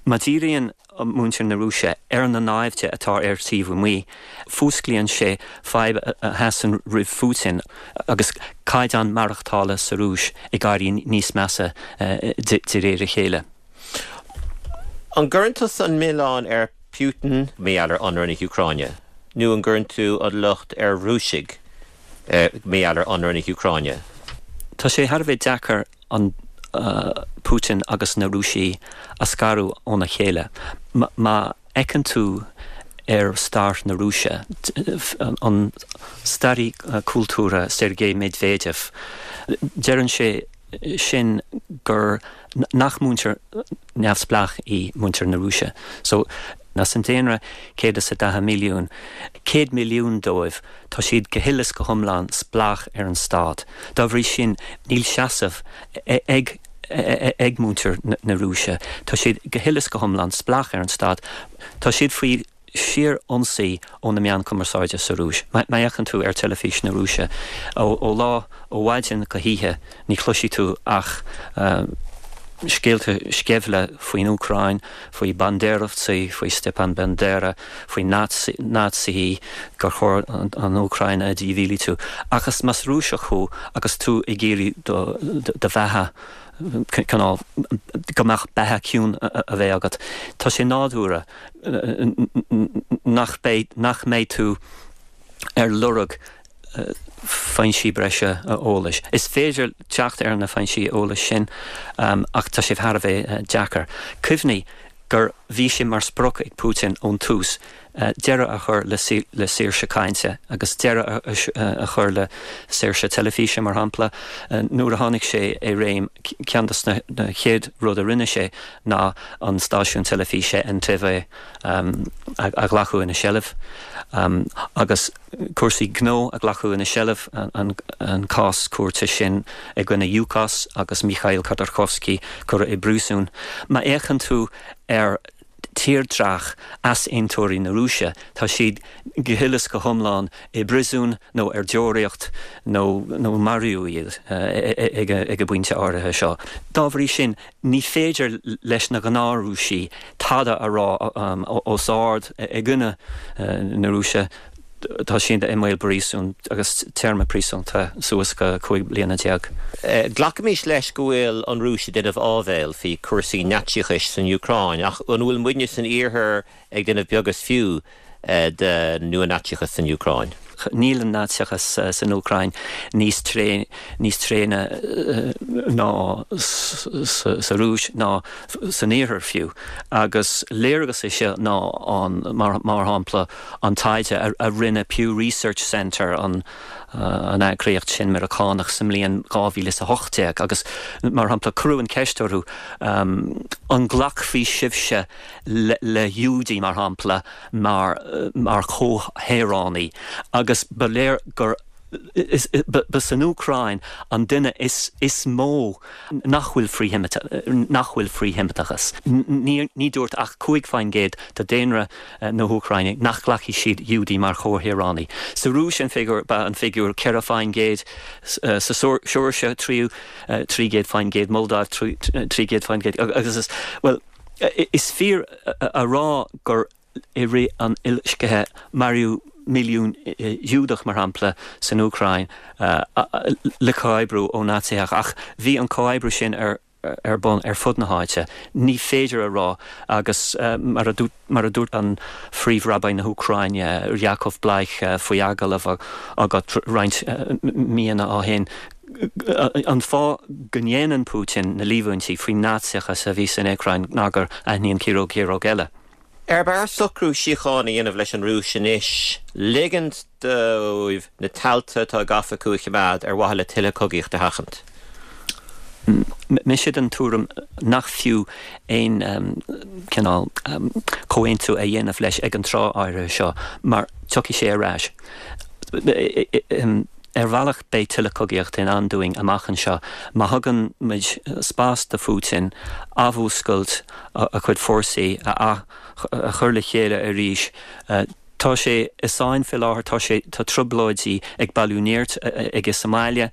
Má dhíríonn muintir na Rúise ar na naimhde atá ar taobh amuigh, fuasclaíonn sé fadhb a sheasann roimh Phutin agus caighdeán maireachtála sa Rúis ag éirí níos measa de réir a chéile. An gcuireann tusa an milleán ar Putin mar gheall ar ionradh na hÚcráine, nó an gcuireann tú an locht ar Rúisigh mar gheall ar ionradh na hÚcráine? Tá sé thar a bheith deacair an Putin agus na Rúisigh a scaradh óna chéile. Má fhéachann tú ar stair na Rúise, an staraí cultúrtha Sergei Medvedev, deireann sé sin gur nach muintir neamhspleách í muintir na Rúise. So, as an daonra céad is a daichead milliún, céad milliún dóibh, tá siad go huile is go hiomlán spleách ar an stát. Dá bhrí sin, níl seasamh ag ag muintir na Rúise. Tá siad go huile is go hiomlán spleách ar an stát. Tá siad faoi shíor-ionsaí ó na meáin cumarsáide sa Rúis. Má fhéachann tú ar teilifís na Rúise ó ó lá ó mhaidin go hoíche ní chloisfidh tú ach scéalta sceimhle faoin Úcráin, faoi Banderovtsy, faoi Stepan Bandera, faoi Naitsithe, gur chóir an Úcráin a dhímhílitiú. Ach is más Rúiseach thú agus tú ag iarraidh do do bheatha cineál go mbeadh beatha ciúin a bheith agat, tá sé nádúrtha nach mbeidh nach mbeidh tú ar lorg foinsí breise eolais. Is féidir teacht ar na foinsí eolais sin ach tá sé thar a bheith deacair. Cuimhnigh gur bhí sé mar sprioc ag Putin ón tús deireadh a chur le le saoirse cainte agus deireadh a chur le saoirse teilifíse mar shampla. Nuair a tháinig sé i réim ceann de na chéad rud a rinne sé ná an stáisiún teilifíse NTV a ghlacadh ina sheilbh agus cúrsaí gnó a ghlacadh ina seilbh, an cás cúirte sin i gcoinne Yukos agus Mikhail Khodorkovsky curtha i bpríosún. Má fhéachann tú ar tírdhreach easaontóirí na Rúise, tá siad go huile is go hiomlán i bpríosún nó ar deoraíocht nó nó maraíodh iad ag ag an bpointe áirithe seo. Dá bhrí sin, ní féidir leis na gnáth-Rúisigh tada a rá os ard i gcoinne na Rúise, tá siad i mbaol príosúin agus téarma príosúnta suas go cúig bliana déag. Glacaimis leis go bhfuil an Rúis ag déanamh áibhéil faoi chúrsaí Naitsíochais san Úcráin, ach an bhfuil muidne san Iarthar ag déanamh beag is fiú de nua-Naitsíochas san Úcráin? Níl an Naitsíochas san Úcráin níos níos tréine ná sa Rúis ná san Iarthar fiú. Agus léargas é seo ná an, mar shampla, an taighde a rinne Pew Research Center, an an eagraíocht sin Meiriceánach sa mbliain dhá mhíle is a hocht déag agus mar shampla cuireadh an ceist orthu an nglacfaí sibhse le Giúdaigh mar shampla mar mar chomhshaoránaigh agus ba léir gur ba san Úcráin an duine is is mó nach bhfuil nach bhfuil frith-Sheimiteachas. Ní dúirt ach cúig faoin gcéad de daonra na hÚcráine nach nglacfaidh siad Giúdaigh mar chomhshaoránaigh. Sa Rúis an figiúr ba an figiúr ceithre faoin gcéad, sa Seoirsia trí trí gcéad faoin gcéad, Moldáiv trí gcéad faoin gcéad agus is, bhuel, is fíor a rá gur i rith an uileloiscthe maraíodh milliún Giúdach, mar shampla, san Úcráin le comhoibriú ó Naitsithe ach bhí an comhoibriú sin ar ar bun ar fud na háite. Ní féidir a rá agus mar a mar a dúirt an Phríomh-Rabbi na hÚcráine Yakov Bleich faoi agallamh agat roinnt míonna ó shin an fáth go ndéanann Putin na líomhaintí faoin Naitsíochas a bhí san Úcráin ná gur aithníonn ciaróg ciaróg eile. Ar b'fhearr socrú síochána a dhéanamh leis an Rúis anois, ligint dóibh na tailte atá gafa acu a choimeád ar mhaithe le tuilleadh cogaíocht a sheachaint? Mise den tuairim nach fiú aon cineál comhaontú a dhéanamh leis ag an tráth áirithe seo mar tiocfaidh sé ar ais. Ar bhealach beidh tuilleadh cogaíochta i ndán dúinn amach anseo má thugann muid spás do Phutin athmhúscailt a chuid fórsaí a a chur le chéile arís. Tá sé i sáinn faoi láthair, tá sé tá trioblóidí ag bailiú nirt aige sa mbaile,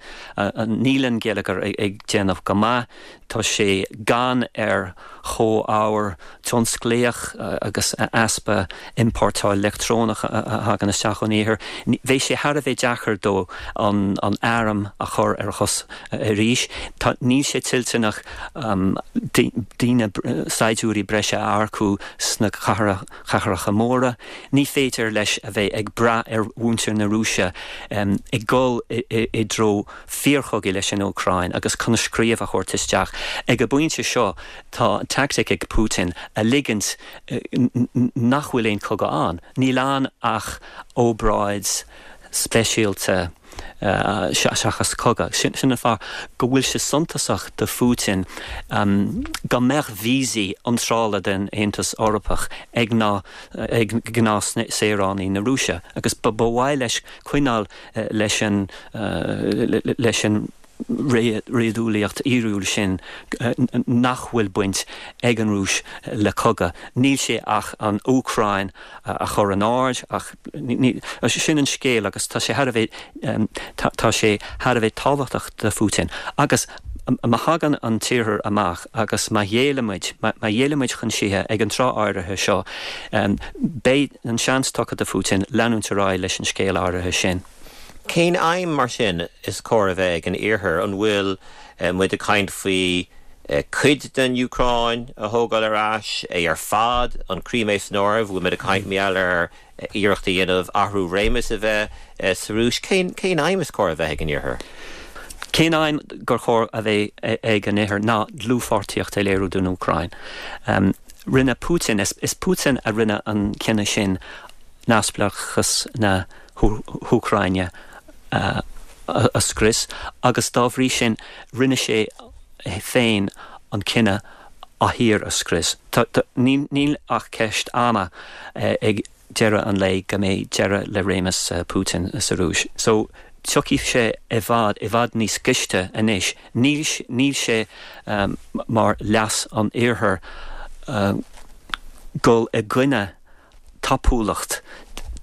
níl an geilleagar ag déanamh go maith, tá sé gann ar chomhábhair tionsclaíoch agus easpa iompórtáil leictreonach a thagann isteach ón Iarthar. Bheadh sé thar a bheith deacair dó an an arm a chur ar a chos arís. Tá níl sé toilteanach daoine saighdiúirí breise a earcú sna cathracha móra. Ní féidir leis a bheith ag brath ar mhuintir na Rúise ag dul i dtreo fíorchogaidh leis an Úcráin agus coinscríobh a thabhairt isteach. Ag an bpointe seo tá tactic ag Putin a ligint nach bhfuil aon chogadh ann. Níl ann ach obráid speisialta seachas cogadh. Sin an fáth go bhfuil sé suntasach do Phutin go mbeadh víosaí iontrála den Aontas Eorpach ag na ag gnáthshaoránaigh na Rúise agus ba mhaith leis coinneáil leis an leis an réadúlaíocht fhíorúil sin nach bhfuil baint ag an Rúis le cogadh. Níl sé ach an Úcráin a chur in aird ach sin an scéal agus tá sé thar a bheith tá sé thar a bheith tábhachtach do Phutin. Agus má thagann an tIarthar amach agus má ghéillimid, má ghéillimid chun síthe ag an tráth áirithe seo, beidh an seans tugtha do Phutin leanúint ar aghaidh leis an scéal áirithe sin. Cén aidhm, mar sin, is cóir a bheith ag an Iarthar? An bhfuil muid ag caint faoi cuid den Úcráin a thógáil ar ais, é ar fad, an Crimea san áireamh? Bhfuil muid ag caint mar gheall ar iarracht a dhéanamh athrú réimis a bheith sa Rúis? Cén cén aidhm is cóir a bheith ag an Iarthar? Cén aidhm gur chóir a bheith ag an Iarthar ná dlúthpháirtíocht a léiriú don Úcráin. Rinne Putin, is Putin a rinne an cinneadh sin neamhspleáchas na hÚcráine a scrios agus dá bhrí sin rinne sé féin an cinneadh a thír a scrios. Níl ach ceist ama ag deireadh an lae go mbeidh deireadh le réimeas Putin sa Rúis. So tiocfaidh sé i bhfad, i bhfad níos gaiste anois. Níl, níl sé mar leas an Iarthair dul i gcoinne tapúlacht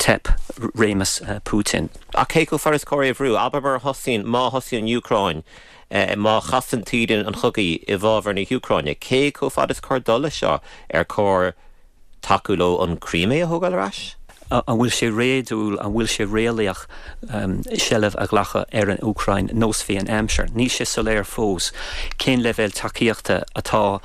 teip réimeas Putin. Ach cé chomh fada is cóir é a bhrú? Abair mar a thosaíonn, má thosaíonn an Úcráin, má chasann taoide an chogaidh i bhfabhar na hÚcráine, cé chomh fada is cóir dul leis seo? Ar chóir tacú leo an Crimea a thógáil ar ais? An bhfuil sé réadúil, an bhfuil sé réalaíoch seilbh a ghlacadh ar an Úcráin nós bhí an aimsir? Níl sé soiléir fós cén leibhéal tacaíochta atá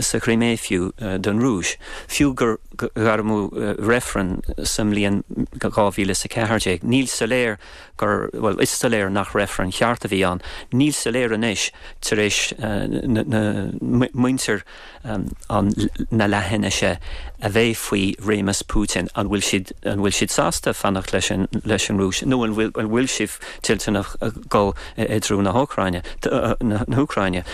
sa Chrimea fiú don Rúis. Fiú gur gairmeadh reifreann sa mbliain dhá mhíle is a ceathair déag, níl soiléir gur, bhuel, is soiléir nach reifreann ceart a bhí ann. Níl soiléir anois tar éis na muintir an na leathinise a bheith faoi réimeas Putin, an bhfuil siad, an bhfuil siad sásta fanacht leis an, leis an Rúis nó an bhfuil, an bhfuil siad toilteanach dul i dtreo na hÚcráine, na hÚcráine.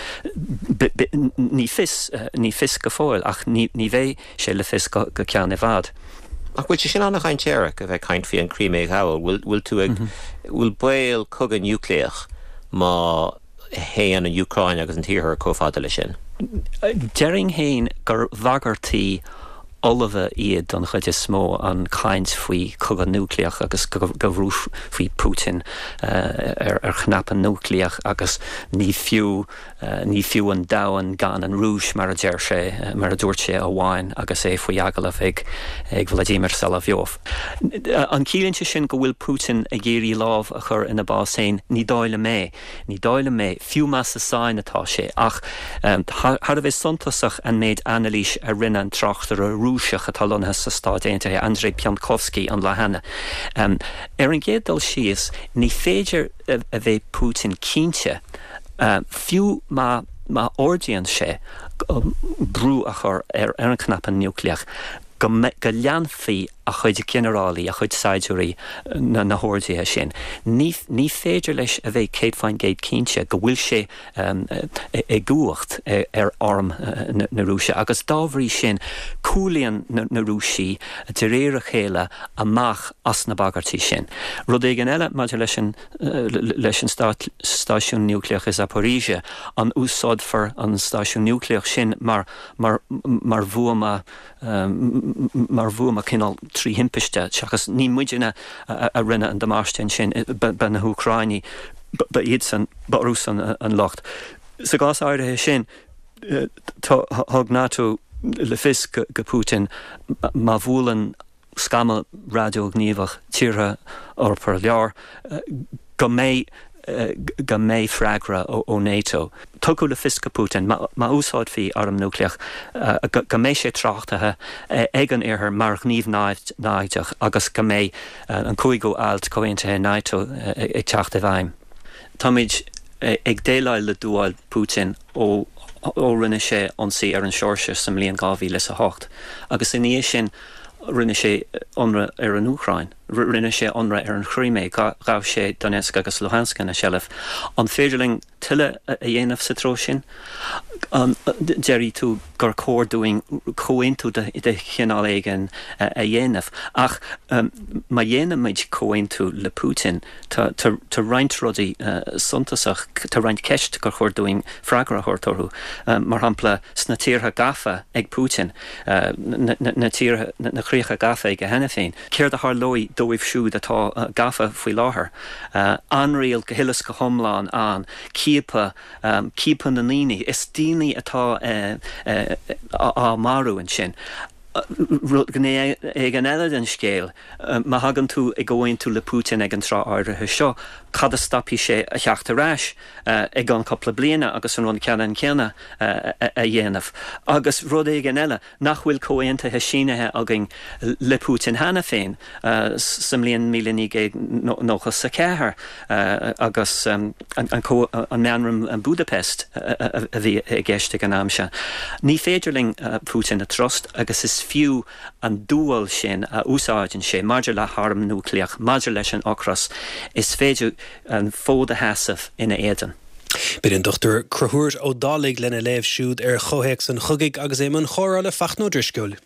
Ní fios, ní fios go fóill ach ní, ní bheidh sé le fios go, go ceann i bhfad. Ach bhfuil sé sin an-dhainséarach a bheith ag caint faoi an Crimea a ghabháil? Bhfuil, bhfuil tú ag, bhfuil baol cogadh núicléach má théann an Úcráin agus an tIarthar chomh fada leis sin? Déarfainn féin gur bhagairtí fholmha iad don chuid is mó, an chaint faoi chogadh núicléach agus go mbrúfaí Putin ar ar chnaipe núicléach agus ní fiú ní fiú an domhan gan an Rúis mar a deir sé, mar a dúirt sé amháin agus é faoi agallamh ag ag Vladimir Solovyov. An ciallaíonn sé sin go bhfuil Putin ag iarraidh lámh a chur ina bhás féin? Ní dóigh liom é. Ní dóigh liom é, fiú más sa sáinn atá sé. Ach thar a bheith suntasach an méid anailís a rinne an tráchtaire Rúiseach atá lonnaithe sna Stáit Aontaithe, Andrei Piontkovsky, an lá cheana. Ar an gcéad dul síos, ní féidir a bheith Putin cinnte, fiú má má ordaíonn sé brú a chur ar an chnaipe núicléach, go go leanfaidh a chuid ginearálaí, a chuid saighdiúirí na na horduithe sin. Ní ní féidir leis a bheith céad faoin gcéad cinnte go bhfuil sé i gcumhacht ar arm na Rúise agus dá bhrí sin cúlaíonn na na Rúisigh de réir a chéile amach as na bagairtí sin. Rud éigin eile maidir leis an leis an stáisiún núicléach i Zaporizhzhia, an úsáidfear an stáisiún núicléach sin mar mar mar bhuama mar bhuama cineál trí thimpiste seachas ní muidne a rinne an damáiste ansin, ba na hÚcráinigh, ba iadsan, ba orthusan an locht. Sa gcás áirithe sin, thug NATO le fios go Putin má bhuaileann scamall radaighníomhach tíortha Eorpacha Láir go mbeidh go mbeidh freagra ó NATO. Tugadh le fios go Putin, má úsáidfí arm núicléach, go mbeidh sé tráchtaithe ag an Iarthar mar ghníomh naimhdeach agus go mbeidh an cúigiú alt Comhaontaithe NATO ag teacht i bhfeidhm. Táimid ag déileáil le dúáil Putin ó ó rinne sé ionsaí ar an Seoirsia sa mbliain dhá mhíle is a hocht agus ina dhiaidh sin rinne sé ionradh ar an Úcráin, rinne sé ionradh ar an Chrimé, ghabh sé Donetsk agus Luhansk ina sheilbh. An féidir linn tuilleadh a dhéanamh sa treo sin? An déarfaidh tú gur chóir dúinn comhaontú de chineál éigin a dhéanamh? Ach má dhéanaimid comhaontú le Putin, tá roinnt rudaí suntasach, tá roinnt ceist gur chóir dúinn freagra a thabhairt orthu. Mar shampla, sna tíortha gafa ag Putin, na tíortha, na críocha gafa aige cheana féin, céard a tharlóidh dóibh siúd atá gafa faoi láthair? Ainriail go huile is go hiomlán ann, ciapadh, ciapadh na ndaoine, is daoine atá á marú ansin. Gné éigin eile den scéal, má thagann tú i gcomhaontú le Putin ag an tráth áirithe seo, cad a stopfaidh sé a theacht ar ais i gceann cúpla bliana agus an rud ceannann céanna a dhéanamh? Agus rud éigin eile, nach bhfuil comhaontuithe sínithe againn le Putin cheana féin sa mbliain míle naoi gcéad nócha is a ceathair agus an Meamram Budapest a bhí i gceist ag an am sin? Ní féidir linn Putin a trust agus is fiú an dúil sin a úsáideann sé maidir le harm núicléach, maidir leis an ocras, is féidir an fód a sheasamh ina éadan. B'in an Dochtúir Conchúr Ó Dálaigh lena léamh siúd ar chomhthéacs an chogaidh agus é i mbun chomhrá le Fachtna Ó Drisceoil.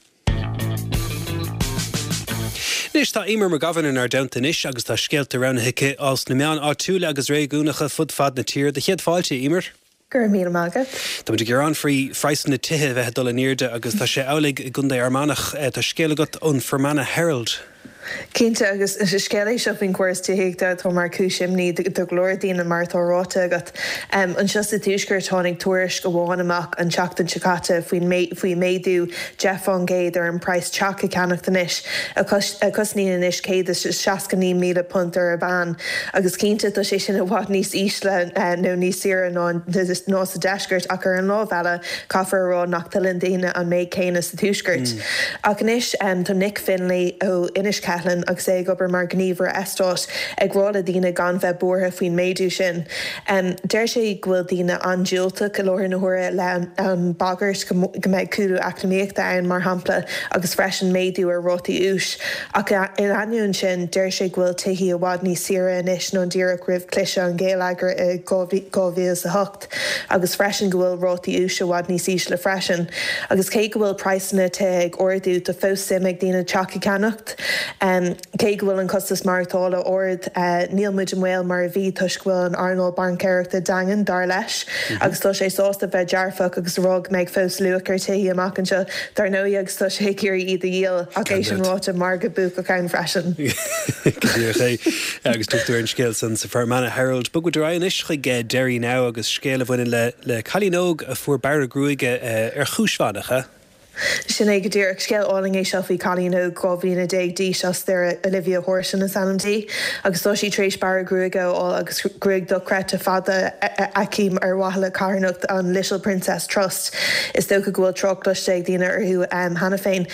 Anois tá Eimear McGovern inár dteannta anois agus tá scéalta roghnaithe aici as na meáin áitiúla agus réigiúnacha fud fad na tíre. Do chéad fáilte, Eimear. Go raibh míle maith agat. Tá muid ag gearán faoi phraghsanna tithe a bheith ag dul in airde agus tá sé amhlaidh i gContae Fhear Manach. Tá scéal agat ón Fermanagh Herald. Cinnte, agus is scéal é seo faoin chóras tithíochta atá mar chúis imní do go leor daoine mar atá ráite agat. Anseo sa Tuaisceart tháinig tuairisc amháin amach an tseachtain seo caite faoin faoi méadú deich fán gcéad ar an praghas teach a cheannacht anois, a chosnaíonn anois céad is seasca naoi míle punt ar an mheán. Agus cinnte tá sé sin i bhfad níos ísle nó níos saoire ná ná sa deisceart ach ar an lámh eile caithfear a rá nach dtuilleann daoine an méid céanna sa tuaisceart. Ach anois tá Nick Finlay ó Inis Ceithleann agus é ag obair mar ghníomhaire eastáit ag rá le daoine gan bheith buartha faoin méadú sin. Deir sé go bhfuil daoine an-diúltach i láthair na huaire le an bagairt go mbeidh cúlú eacnamaíochta ann mar shampla agus freisin méadú ar rátaí úis. Ach in ainneoin sin, deir sé go bhfuil tithí i bhfad níos saoire anois ná díreach roimh chliseadh an gheilleagair i dhá mhíle is a hocht agus freisin go bhfuil rátaí úis i bhfad níos ísle freisin. Agus cé go bhfuil praghsanna tithe ag ardú, tá fós suim ag daoine teach a cheannacht. Cé go bhfuil an costas maireachtála ard, níl muid i mbaol mar a bhí toisc go bhfuil an earnáil baincéireachta daingean, dar leis, agus tá sé sásta bheith dearfach agus a rá go mbeidh fós luach ar tithe amach anseo, dar ndóigh, agus tá sé ag iarraidh iad a dhíol, ach é sin ráite, margadh buacach ann freisin. Go díreach é. Agus tugtar an scéal san sa Fermanagh Herald. Bogfaidh muid ar aghaidh anois chuig Derry Now agus scéal a bhaineann le le cailín óg a fuair bearradh gruaige ar chúis mhaith, nach ea? Sin é go díreach. Scéal álainn é seo faoi cailín óg dhá bhliana déag d'aois as Doire, Olivia Horton is ainm di, agus tá sí tar éis bearradh gruaige a fháil agus gruaig dochreidte fada aici ar mhaithe le carthanacht an Little Princess Trust. Is dócha go bhfuil trácht cloiste ag daoine orthu cheana féin.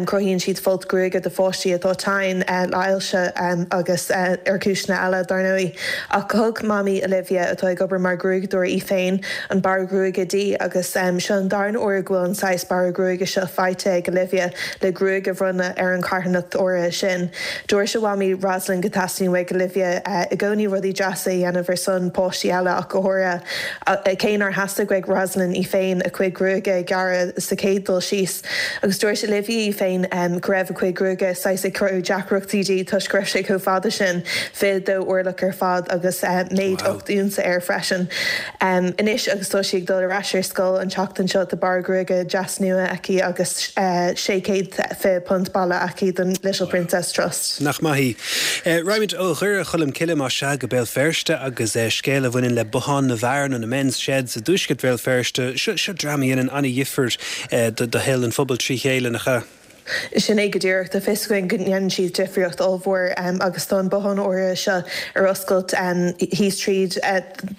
Cruthaíonn siad folt gruaige do pháistí atá tinn le hailse agus ar chúiseanna eile, dar ndóigh. Ach thug mamaí Olivia, atá ag obair mar ghruaigeadóir í féin, an bearradh gruaige di agus seo an darna huair go bhfuil an saghas bearradh gruaige seo faighte ag Olivia le gruaig a bhronnadh ar an charthanacht áirithe sin. Dúirt a mhamaí Rosalind go dteastaíonn uaidh Olivia i gcónaí rudaí deasa a dhéanamh ar son páistí eile ach go háirithe. Cé nár theastaigh uaidh Rosalind í féin a cuid gruaige a ghearradh sa chéad dul síos. Agus dúirt Olivia í féin go raibh a cuid gruaige saghas ag cruthú deacrachtaí di toisc go raibh sé chomh fada sin, fiche dó orlach ar fad agus méid ocht unsa air freisin. Anois agus tá sí ag dul ar ais ar scoil an tseachtain seo tá bearradh gruaige deas nua aici agus sé chéad fiche punt bailithe aici don Little Princess Trust. Nach maith í. Raghaimid ó Dhoire Cholm Cille más ea go Béal Feirste agus scéal a bhaineann le Bothán na bhFear nó na Men's Sheds i dtuaisceart Bhéal Feirste. Seo dream a dhéanann an-dhifear do shaol an phobail trí chéile, nach ea? Sin é go díreach. Tá fios againn go ndéanann siad difríocht ollmhór agus tá an bothán áirithe seo ar oscailt thíos tríd,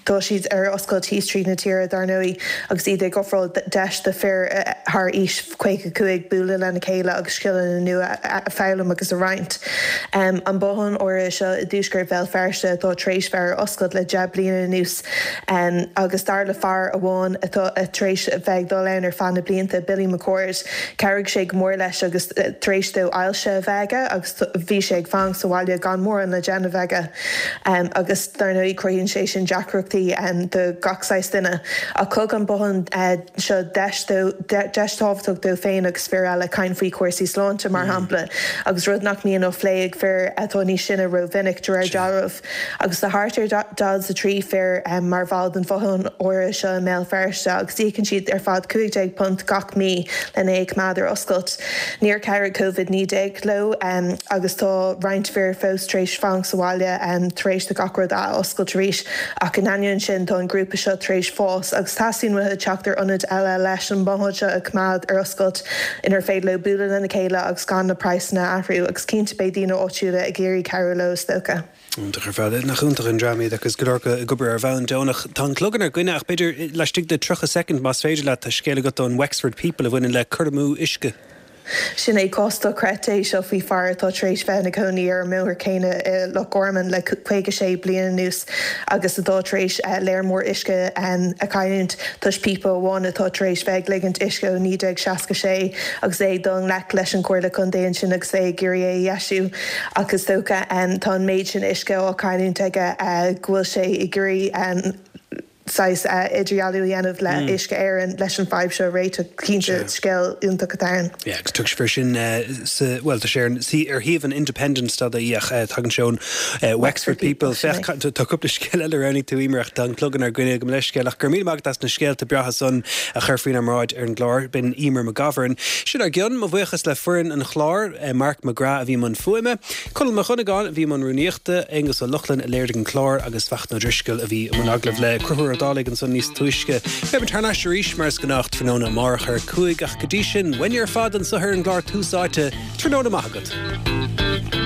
tá siad ar oscailt thíos tríd na tíre dar ndóigh agus iad ag ofráil deis do fir thar aois caoga cúig bualadh lena chéile agus scileanna nua a foghlaim agus a roinnt. An bothán áirithe seo i dtuaisceart Bhéal Feirste atá tar éis bheith ar oscailt le deich bliana anuas agus dar le fear amháin atá tar éis bheith ag dul ann ar feadh na blianta, Billy McCord, chabhraigh sé go mór leis agus tar éis dó ailse a bheith aige agus bhí sé ag fanacht sa bhaile gan mórán le déanamh aige agus dar ndóigh cruthaíonn sé sin deacrachtaí do gach saghas duine. Ach thug an bothán seo deis dó, deis tábhachtach dó féin agus fir eile caint faoi chúrsaí sláinte mar shampla agus rud nach mbíonn á phlé ag fir atá níos sine rómhinic de réir dealraimh. Agus tá thart ar daichead is a trí fir mar bhall den bhothán áirithe seo i mBéal Feirste agus íocann siad ar fad cúig déag punt gach mí lena é a choimeád ar oscailt. Níor chabhraigh Covid naoi déag leo agus tá roinnt fir fós tar éis fanacht sa bhaile tar éis do gach rud ath-oscailt arís ach in ainneoin sin tá an grúpa seo tar éis fás agus teastaíonn uathu teacht ar ionad eile leis an mbothán seo a choimeád ar oscailt inar féidir leo bualadh lena chéile agus gan na praghsanna a athrú agus cinnte beidh daoine áitiúla ag iarraidh cabhrú leo is dócha. Iontach ar fad. Nach iontach an dream iad agus go leor acu ag obair ar bhonn deonach. Tá an clog inár gcoinne ach b'fhéidir laistigh de tríocha soicind más féidir leat tá scéal agat ón Wexford People a bhaineann le cur amú uisce. Sin é cás dochreidte é seo faoi fear atá tar éis bheith ina chónaí ar an mbóthar céanna i Loch Garman le caoga sé bliain anuas agus atá tar éis léar mór uisce a chailliúint toisc píopa amháin atá tar éis bheith ag ligint uisce ó naoi déag seasca sé agus é ag dul i ngleic leis an Chomhairle Contae ansin agus é ag iarraidh é a dheisiú ach is dócha tá an méid sin uisce á chailliúint aige go bhfuil sé ag iarraidh saghas idirdhealú a dhéanamh le Uisce Éireann leis an bhfadhb seo a réiteach. Cinnte, scéal iontach atá ann. Yeah, agus tugtar faoi sin sa, bhuel, tá sé ar, ar shuíomh an Independent dot ie ach tagann sé ón Wexford People. Féach, tá cúpla scéal eile a roghnaigh tú, Emer, ach tá an clog inár gcoinne, gabh mo leithscéal ach go raibh míle maith agat as na scéalta breátha san a chur faoinár mbráid ar an gclár. B'in Emer McGovern. Sin ár gcionn. Mo bhuíochas le foireann an chláir, Mark McGrath a bhí i mbun fuaime, Conall Mac Dhonnagáin a bhí i mbun rúnaíochta, Aonghus Ó Lochlainn a léirigh an clár agus Fachtna Ó Drisceoil a bhí i mbun agallamh le Conchúr Ó Dálaigh ansan níos túisce. Beimid thar n-ais arís mar is gnách tráthnóna amárach ar a cúig ach go dtí sin, uainne ar fad anseo ar an gclár Tús Áite, tráthnóna maith agat.